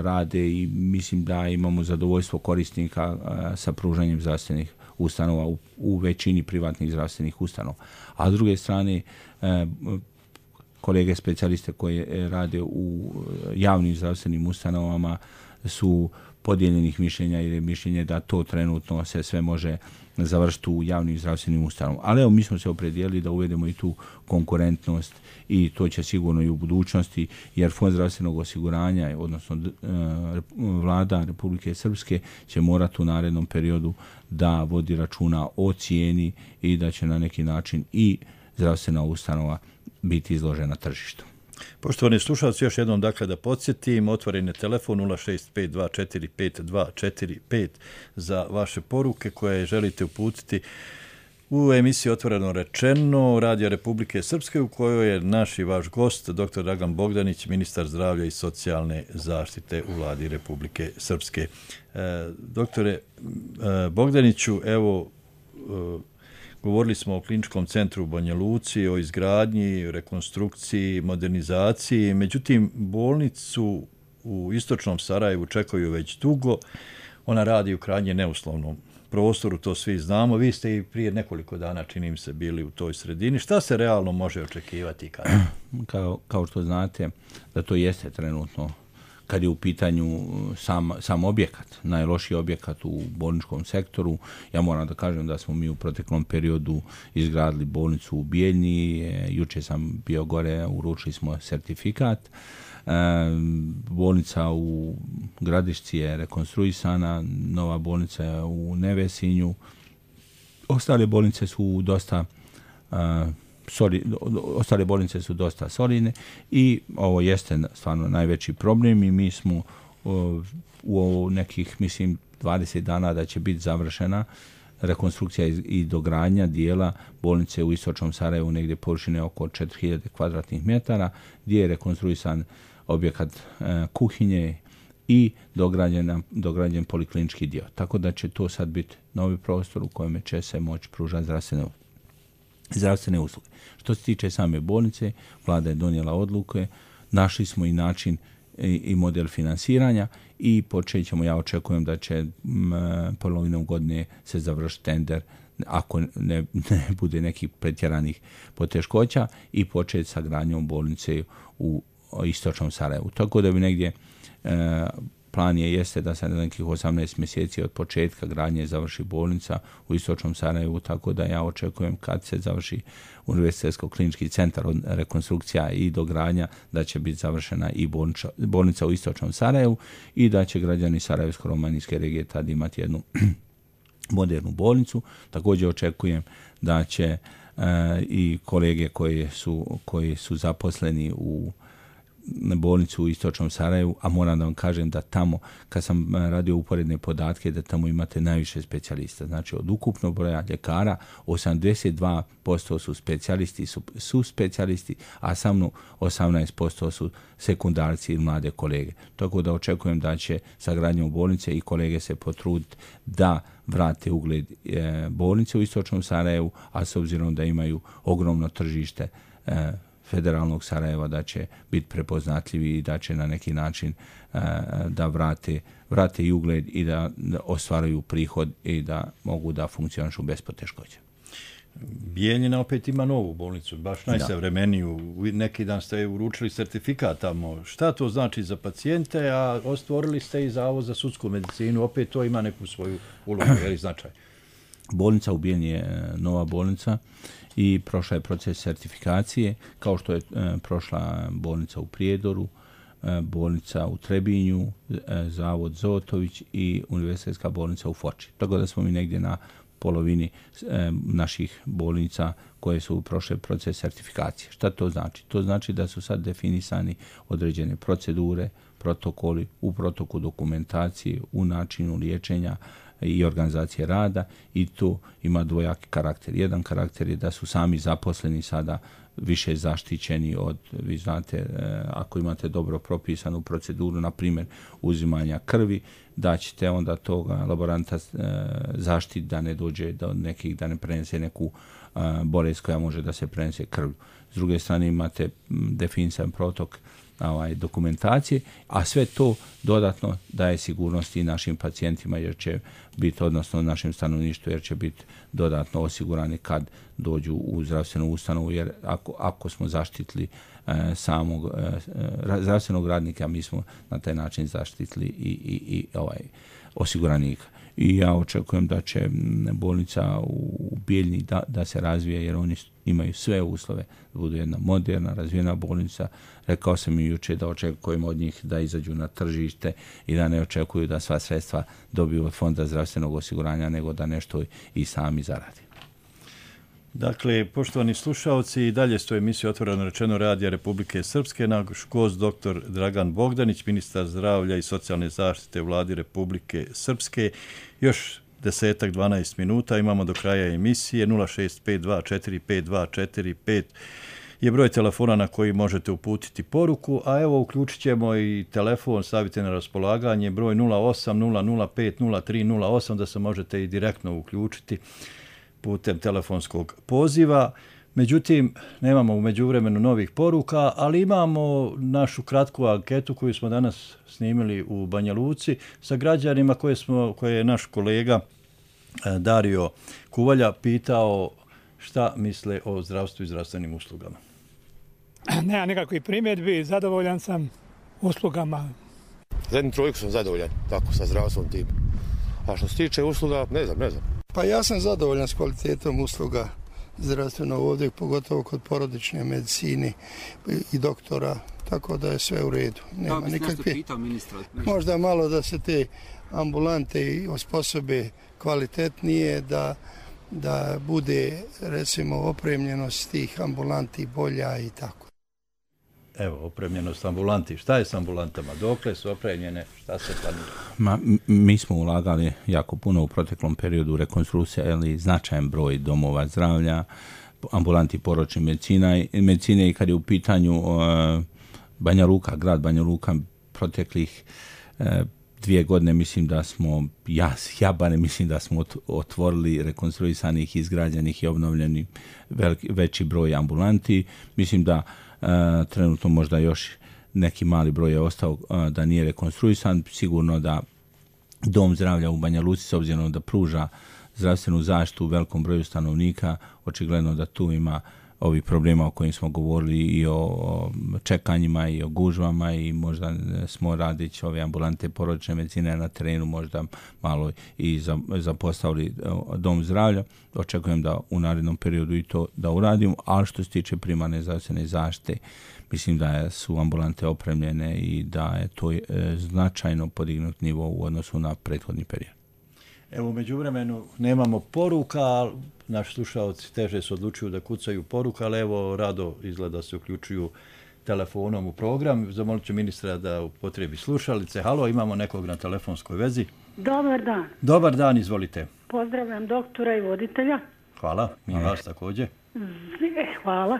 rade i mislim da imamo zadovoljstvo korisnika sa pružanjem zdravstvenih ustanova u većini privatnih zdravstvenih ustanova. A s druge strane, kolege specijaliste koji rade u javnim zdravstvenim ustanovama su podijeljenih mišljenja, jer je mišljenje da to trenutno se sve može završiti u javnim zdravstvenim ustanovama. Ali evo, mi smo se opredijelili da uvedemo i tu konkurentnost i to će sigurno i u budućnosti, jer Fond zdravstvenog osiguranja, odnosno vlada Republike Srpske, će morati u narednom periodu da vodi računa o cijeni i da će na neki način i zdravstvena ustanova biti izložena tržištu. Poštovani slušalci, još jednom dakle da podsjetim, otvoren je telefon 065245245 za vaše poruke koje želite uputiti u emisiji Otvoreno rečeno Radija Republike Srpske, u kojoj je naš i vaš gost, dr. Dragan Bogdanić, ministar zdravlja i socijalne zaštite u Vladi Republike Srpske. Doktore Bogdaniću, evo, govorili smo o kliničkom centru u Banja Luci, o izgradnji, rekonstrukciji, modernizaciji. Međutim, bolnicu u istočnom Sarajevu čekaju već dugo. Ona radi u krajnje neuslovnom prostoru, to svi znamo. Vi ste i prije nekoliko dana, čini mi se, bili u toj sredini. Šta se realno može očekivati kada? Kao što znate, da to jeste trenutno, kad je u pitanju sam objekat, najlošiji objekat u bolničkom sektoru. Ja moram da kažem da smo mi u proteklom periodu izgradili bolnicu u Bijeljni, juče sam bio gore, uručili smo sertifikat. Bolnica u Gradišci je rekonstruisana, nova bolnica je u Nevesinju. Ostale bolnice su dosta solidne i ovo jeste stvarno najveći problem i mi smo u nekih, mislim, 20 dana da će biti završena rekonstrukcija i dogradnja dijela bolnice u istočnom Sarajevu, negdje površine oko 4000 kvadratnih metara, gdje je rekonstruisan objekat kuhinje i dograđen poliklinički dio. Tako da će to sad biti novi prostor u kojem će se moći pružati zdravstvene usluge. Što se tiče same bolnice, vlada je donijela odluke, našli smo i način i model finansiranja i počet ćemo, ja očekujem da će polovinom godine se završiti tender, ako ne bude nekih pretjeranih poteškoća, i početi sa gradnjom bolnice u istočnom Sarajevu. Tako da bi negdje plan jeste da se na nekih 18 mjeseci od početka gradnje završi bolnica u istočnom Sarajevu, tako da ja očekujem kad se završi Univerzitetsko-klinički centar, rekonstrukcija i dogradnja, da će biti završena i bolnica u istočnom Sarajevu i da će građani Sarajevsko-romanijske regije tad imati jednu modernu bolnicu. Također očekujem da će i kolege koji su zaposleni u bolnicu u istočnom Sarajevu, a moram da vam kažem da tamo, kad sam radio uporedne podatke, da tamo imate najviše specijalista. Znači, od ukupnog broja ljekara, 82% su specijalisti, su specijalisti, a samo 18% su sekundarci ili mlade kolege. Tako da očekujem da će sa gradnjom bolnice i kolege se potruditi da vrate ugled bolnice u istočnom Sarajevu, a s obzirom da imaju ogromno tržište federalnog Sarajeva, da će biti prepoznatljivi i da će na neki način da vrate i ugled i da ostvaruju prihod i da mogu da funkcionišu bez poteškoća. Bijeljina opet ima novu bolnicu, baš najsavremeniju. Neki dan ste uručili sertifikat tamo. Šta to znači za pacijente, a ostvorili ste i Zavod za sudsku medicinu, opet to ima neku svoju ulogu ili značaj. Bolnica u Bijeljini je nova bolnica i prošla je proces sertifikacije, kao što je prošla bolnica u Prijedoru, bolnica u Trebinju, Zavod Zotović i Univerzitetska bolnica u Foči. Tako da smo mi negdje na polovini naših bolnica koje su prošle proces sertifikacije. Šta to znači? To znači da su sad definisani određene procedure, protokoli, u protoku dokumentacije, u načinu liječenja i organizacije rada i to ima dvojaki karakter. Jedan karakter je da su sami zaposleni sada više zaštićeni od, vi znate, ako imate dobro propisanu proceduru, na primjer uzimanja krvi, da ćete onda toga laboranta zaštiti da ne dođe do nekih, da ne prenese neku bolest koja može da se prenese krvlju. S druge strane imate definisan protok dokumentacije, a sve to dodatno daje sigurnosti i našim pacijentima jer će biti, odnosno našem stanovništvu, jer će biti dodatno osigurani kad dođu u zdravstvenu ustanovu, jer ako smo zaštitili samog zdravstvenog radnika, mi smo na taj način zaštitili i osiguranika. I ja očekujem da će bolnica u Bijeljini da se razvije, jer oni imaju sve uslove da budu jedna moderna, razvijena bolnica. Rekao sam i jučer da očekujem od njih da izađu na tržište i da ne očekuju da sva sredstva dobiju od Fonda zdravstvenog osiguranja, nego da nešto i sami zaradi. Dakle, poštovani slušalci, i dalje stoji emisija Otvoreno rečeno Radija Republike Srpske. Naš gost dr. Dragan Bogdanić, ministar zdravlja i socijalne zaštite u Vladi Republike Srpske. Još 10-12 minuta imamo do kraja emisije. 065245245 je broj telefona na koji možete uputiti poruku, a evo uključit ćemo i telefon, stavite na raspolaganje, broj 0800503008, da se možete i direktno uključiti putem telefonskog poziva. Međutim, nemamo u međuvremenu novih poruka, ali imamo našu kratku anketu koju smo danas snimili u Banja Luci sa građanima koje je naš kolega Dario Kuvalja pitao šta misle o zdravstvu i zdravstvenim uslugama. Nema nikakvih primjedbi, zadovoljan sam uslugama. Za jednu trojku sam zadovoljan, tako sa zdravstvom tim. A što se tiče usluga, ne znam. Pa ja sam zadovoljan s kvalitetom usluga zdravstveno ovdje, pogotovo kod porodične medicine i doktora, tako da je sve u redu. Nema nikakve. Možda malo da se te ambulante osposobe kvalitetnije, da bude, recimo, opremljenost tih ambulanti bolja i tako. Evo, opremljenost ambulanti. Šta je s ambulantama? Dokle su opremljene? Šta se planira? Mi smo ulagali jako puno u proteklom periodu rekonstrukcije, ali značajan broj domova zdravlja, ambulanti porodične medicine i kad je u pitanju Banja Luka, grad Banja Luka, proteklih 2 godine mislim da smo, ja barem mislim da smo otvorili rekonstruisanih, izgrađenih i obnovljenih veći broj ambulanti. Mislim da trenutno možda još neki mali broj je ostao da nije rekonstruisan. Sigurno da dom zdravlja u Banja Luci, s obzirom da pruža zdravstvenu zaštitu u velikom broju stanovnika, očigledno da tu ima ovih problema o kojim smo govorili i o čekanjima i o gužvama i možda smo radići ove ambulante porodične medicine na terenu možda malo i zapostavili dom zdravlja. Očekujem da u narednom periodu i to da uradimo, ali što se tiče primarne zdravstvene zaštite, mislim da su ambulante opremljene i da je to značajno podignut nivo u odnosu na prethodni period. Evo, u međuvremenu nemamo poruka, ali naši slušalci teže se odlučuju da kucaju poruka, ali evo, rado izgleda se uključuju telefonom u program. Zamolit ću ministra da upotrebi slušalice. Halo, imamo nekog na telefonskoj vezi. Dobar dan. Dobar dan, izvolite. Pozdravljam doktora i voditelja. Hvala, mi vas također. Hvala,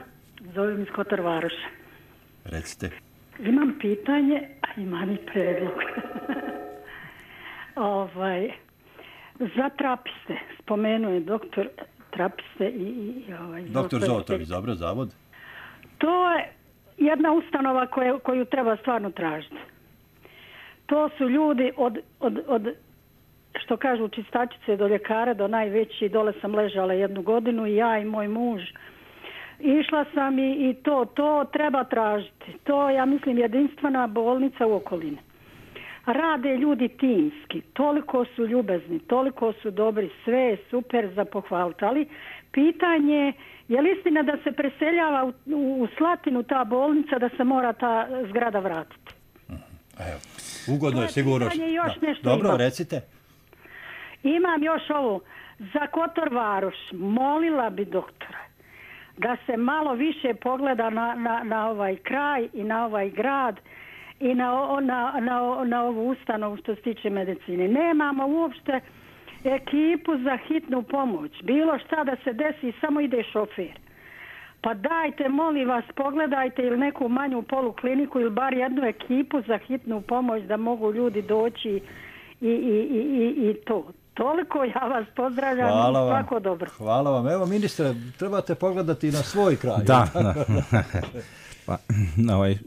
zovem iz Kotor Varoša. Recite. Imam pitanje, a imam i predlog. Za trapiste, spomenuo je doktor trapiste i doktor Zotović, dobro, zavod. To je jedna ustanova koju treba stvarno tražiti. To su ljudi od što kažu čistačice do ljekara, do najveći, dole sam ležala 1 godinu i ja i moj muž. Išla sam i to treba tražiti. To, ja mislim, jedinstvena bolnica u okolini. Rade ljudi timski, toliko su ljubezni, toliko su dobri, sve je super za pohvaliti, ali pitanje je li istina da se preseljava u Slatinu ta bolnica, da se mora ta zgrada vratiti? Evo, ugodno je sigurno. Dobro, imam. Recite. Imam još ovo. Za Kotor Varoš molila bi doktora da se malo više pogleda na ovaj kraj i na ovaj grad i na ovu ustanovu što se tiče medicine. Nemamo uopšte ekipu za hitnu pomoć. Bilo šta da se desi, samo ide šofer. Pa dajte, molim vas, pogledajte ili neku manju polukliniku ili bar jednu ekipu za hitnu pomoć da mogu ljudi doći i to. Toliko ja vas pozdravljam i svako dobro. Hvala vam. Evo, ministre, trebate pogledati na svoj kraj. Da. Pa,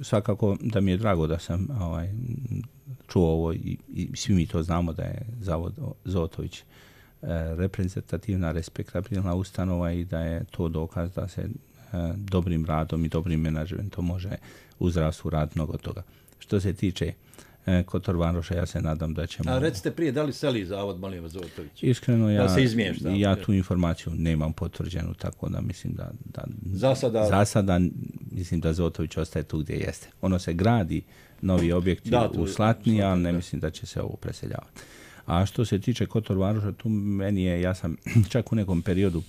svakako da mi je drago da sam čuo ovo i svi mi to znamo da je Zavod Zotović reprezentativna, respektabilna ustanova i da je to dokaz da se dobrim radom i dobrim menadžmentom može u zdravstvu raditi mnogo toga. Što se tiče Kotor Varoša, ja se nadam da ćemo... A recite prije, da li seli Zavod, molim vas, Zotović? Iskreno, ja tu informaciju nemam potvrđenu, tako da mislim da za sada mislim da Zotović ostaje tu gdje jeste. Ono se gradi, novi objekti u Slatini, ali ne mislim da će se ovo preseljavati. A što se tiče Kotor Varoša, tu meni je, ja sam čak u nekom periodu,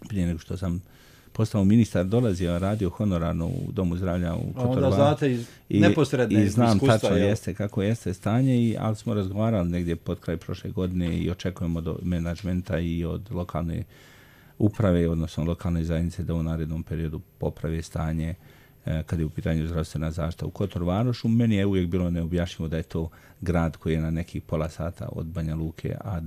prije nego što sam postao ministar, dolazio, radio honorarno u Domu zdravlja u Kotor Varošu i znam tačno jeste kako jeste stanje, ali smo razgovarali negdje pod kraj prošle godine i očekujemo do menadžmenta i od lokalne uprave, odnosno lokalne zajednice, da u narednom periodu poprave stanje kad je u pitanju zdravstvena zaštita u Kotor Varošu. Meni je uvijek bilo neobjašnjivo da je to grad koji je na nekih pola sata od Banja Luke, a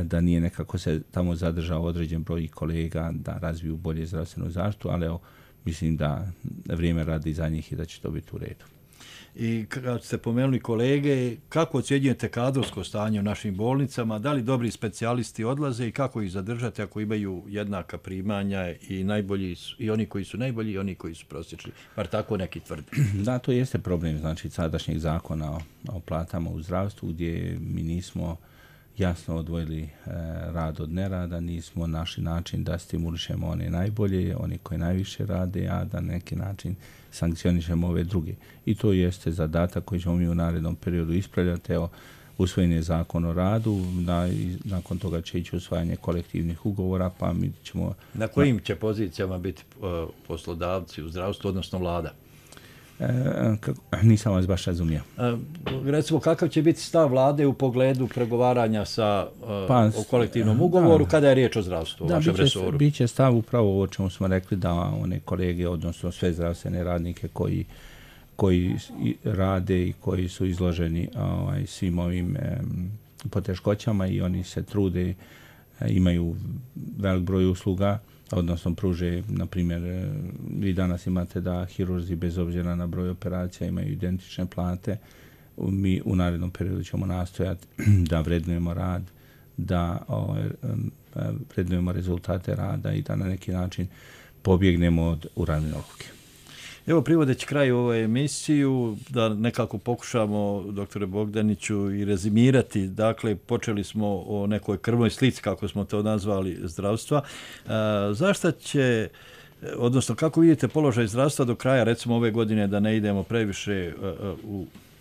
da nije nekako se tamo zadržao određen broj kolega da razviju bolje zdravstvenu zaštitu, ali evo, mislim da vrijeme radi za njih i da će to biti u redu. I kad ste pomenuli kolege, kako ocjenjujete kadrovsko stanje u našim bolnicama, da li dobri specijalisti odlaze i kako ih zadržati ako imaju jednaka primanja i najbolji i oni koji su najbolji i oni koji su prosječni, bar tako neki tvrde. Da, to jeste problem, znači sadašnjeg zakona o platama u zdravstvu, gdje mi nismo jasno odvojili rad od nerada, nismo našli način da stimulišemo one najbolje, oni koji najviše rade, a da na neki način sankcionišemo ove druge. I to jeste zadatak koji ćemo mi u narednom periodu ispravljati. Evo, usvojen je zakon o radu, nakon toga će ići usvajanje kolektivnih ugovora, pa mi ćemo... Na kojim će pozicijama biti poslodavci u zdravstvu, odnosno vlada? Nisam vas baš razumio. Recimo, kakav će biti stav vlade u pogledu pregovaranja o kolektivnom ugovoru kada je riječ o zdravstvu, o vašem resoru? Biće stav upravo ovo čemu smo rekli, da one kolege, odnosno sve zdravstvene radnike koji rade i koji su izloženi svim ovim poteškoćama i oni se trude, imaju velik broj usluga, odnosno pruže, na primjer, vi danas imate da hirurzi bez obzira na broj operacija imaju identične plate. Mi u narednom periodu ćemo nastojati da vrednujemo rad, da vrednujemo rezultate rada i da na neki način pobjegnemo od uravne odluke. Evo, privodeći kraju ovoj emisiju, da nekako pokušamo, doktore Bogdaniću, i rezimirati. Dakle, počeli smo o nekoj krvnoj slici, kako smo to nazvali, zdravstva. Zašto će, odnosno kako vidite položaj zdravstva do kraja, recimo ove godine, da ne idemo previše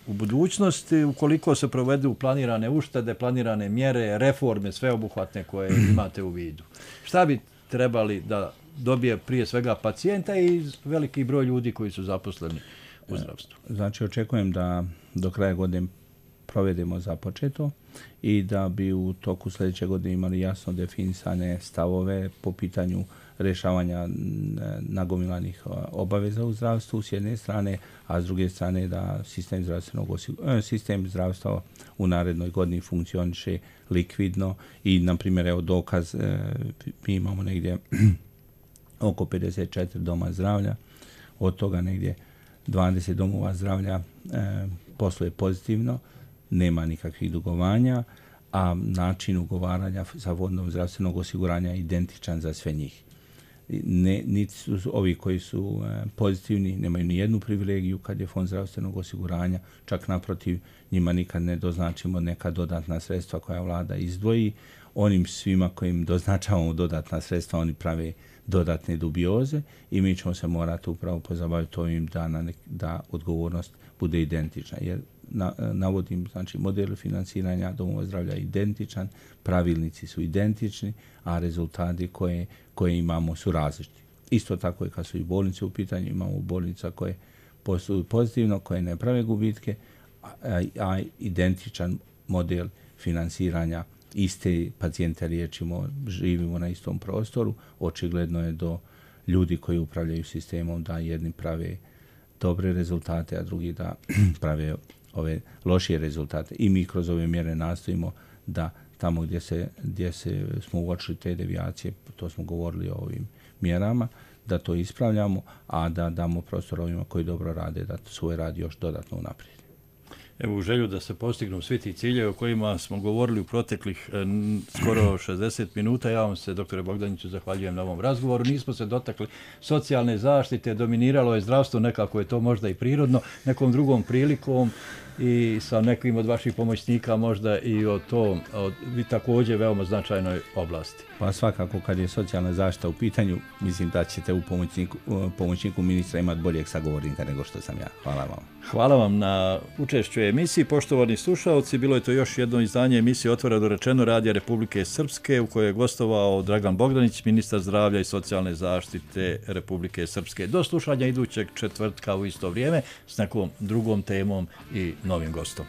u budućnosti, ukoliko se provedu planirane uštede, planirane mjere, reforme, sveobuhvatne koje imate u vidu? Šta bi trebali da dobije prije svega pacijenta i veliki broj ljudi koji su zaposleni u zdravstvu? Znači, očekujem da do kraja godine provedemo započeto i da bi u toku sljedeće godine imali jasno definisane stavove po pitanju rješavanja nagomilanih obaveza u zdravstvu s jedne strane, a s druge strane da sistem zdravstva u narednoj godini funkcioniše likvidno i, na primjer, evo dokaz, mi imamo negdje oko 54 doma zdravlja, od toga negdje 20 domova zdravlja posluje pozitivno, nema nikakvih dugovanja, a način ugovaranja sa Fondom zdravstvenog osiguranja je identičan za sve njih. Niti su ovi koji su pozitivni, nemaju ni jednu privilegiju kad je Fond zdravstvenog osiguranja, čak naprotiv, njima nikad ne doznačimo neka dodatna sredstva koja vlada izdvoji. Onim svima kojim doznačavamo dodatna sredstva, oni prave dodatne dubioze i mi ćemo se morati upravo pozabaviti ovim da odgovornost bude identična. Jer navodim, znači, model financiranja domova zdravlja je identičan, pravilnici su identični, a rezultati koje imamo su različiti. Isto tako i kad su i bolnice u pitanju, imamo bolnica koje posluju pozitivno, koje ne prave gubitke, a identičan model financiranja, iste pacijente liječimo, živimo na istom prostoru. Očigledno je do ljudi koji upravljaju sistemom da jedni prave dobre rezultate, a drugi da prave ove lošije rezultate. I mi kroz ove mjere nastojimo da tamo gdje smo uočili te devijacije, to smo govorili o ovim mjerama, da to ispravljamo, a da damo prostor ovima koji dobro rade, da svoj rad još dodatno unaprijedi. Evo, u želju da se postignu svi ti ciljevi o kojima smo govorili u proteklih skoro 60 minuta, ja vam se, doktore Bogdaniću, zahvaljujem na ovom razgovoru. Nismo se dotakli socijalne zaštite, dominiralo je zdravstvo, nekako je to možda i prirodno, nekom drugom prilikom i sa nekim od vaših pomoćnika možda i o tom, vi također veoma značajnoj oblasti. Pa svakako kad je socijalna zaštita u pitanju, mislim da ćete u pomoćniku ministra imati boljeg sagovornika nego što sam ja. Hvala vam. Hvala vam na učešću u emisiji. Poštovani slušalci, bilo je to još jedno izdanje emisije Otvoreno rečeno Radija Republike Srpske u kojoj je gostovao Dragan Bogdanić, ministar zdravlja i socijalne zaštite Republike Srpske. Do slušanja idućeg četvrtka u isto vrijeme s nekom drugom temom i novim gostom.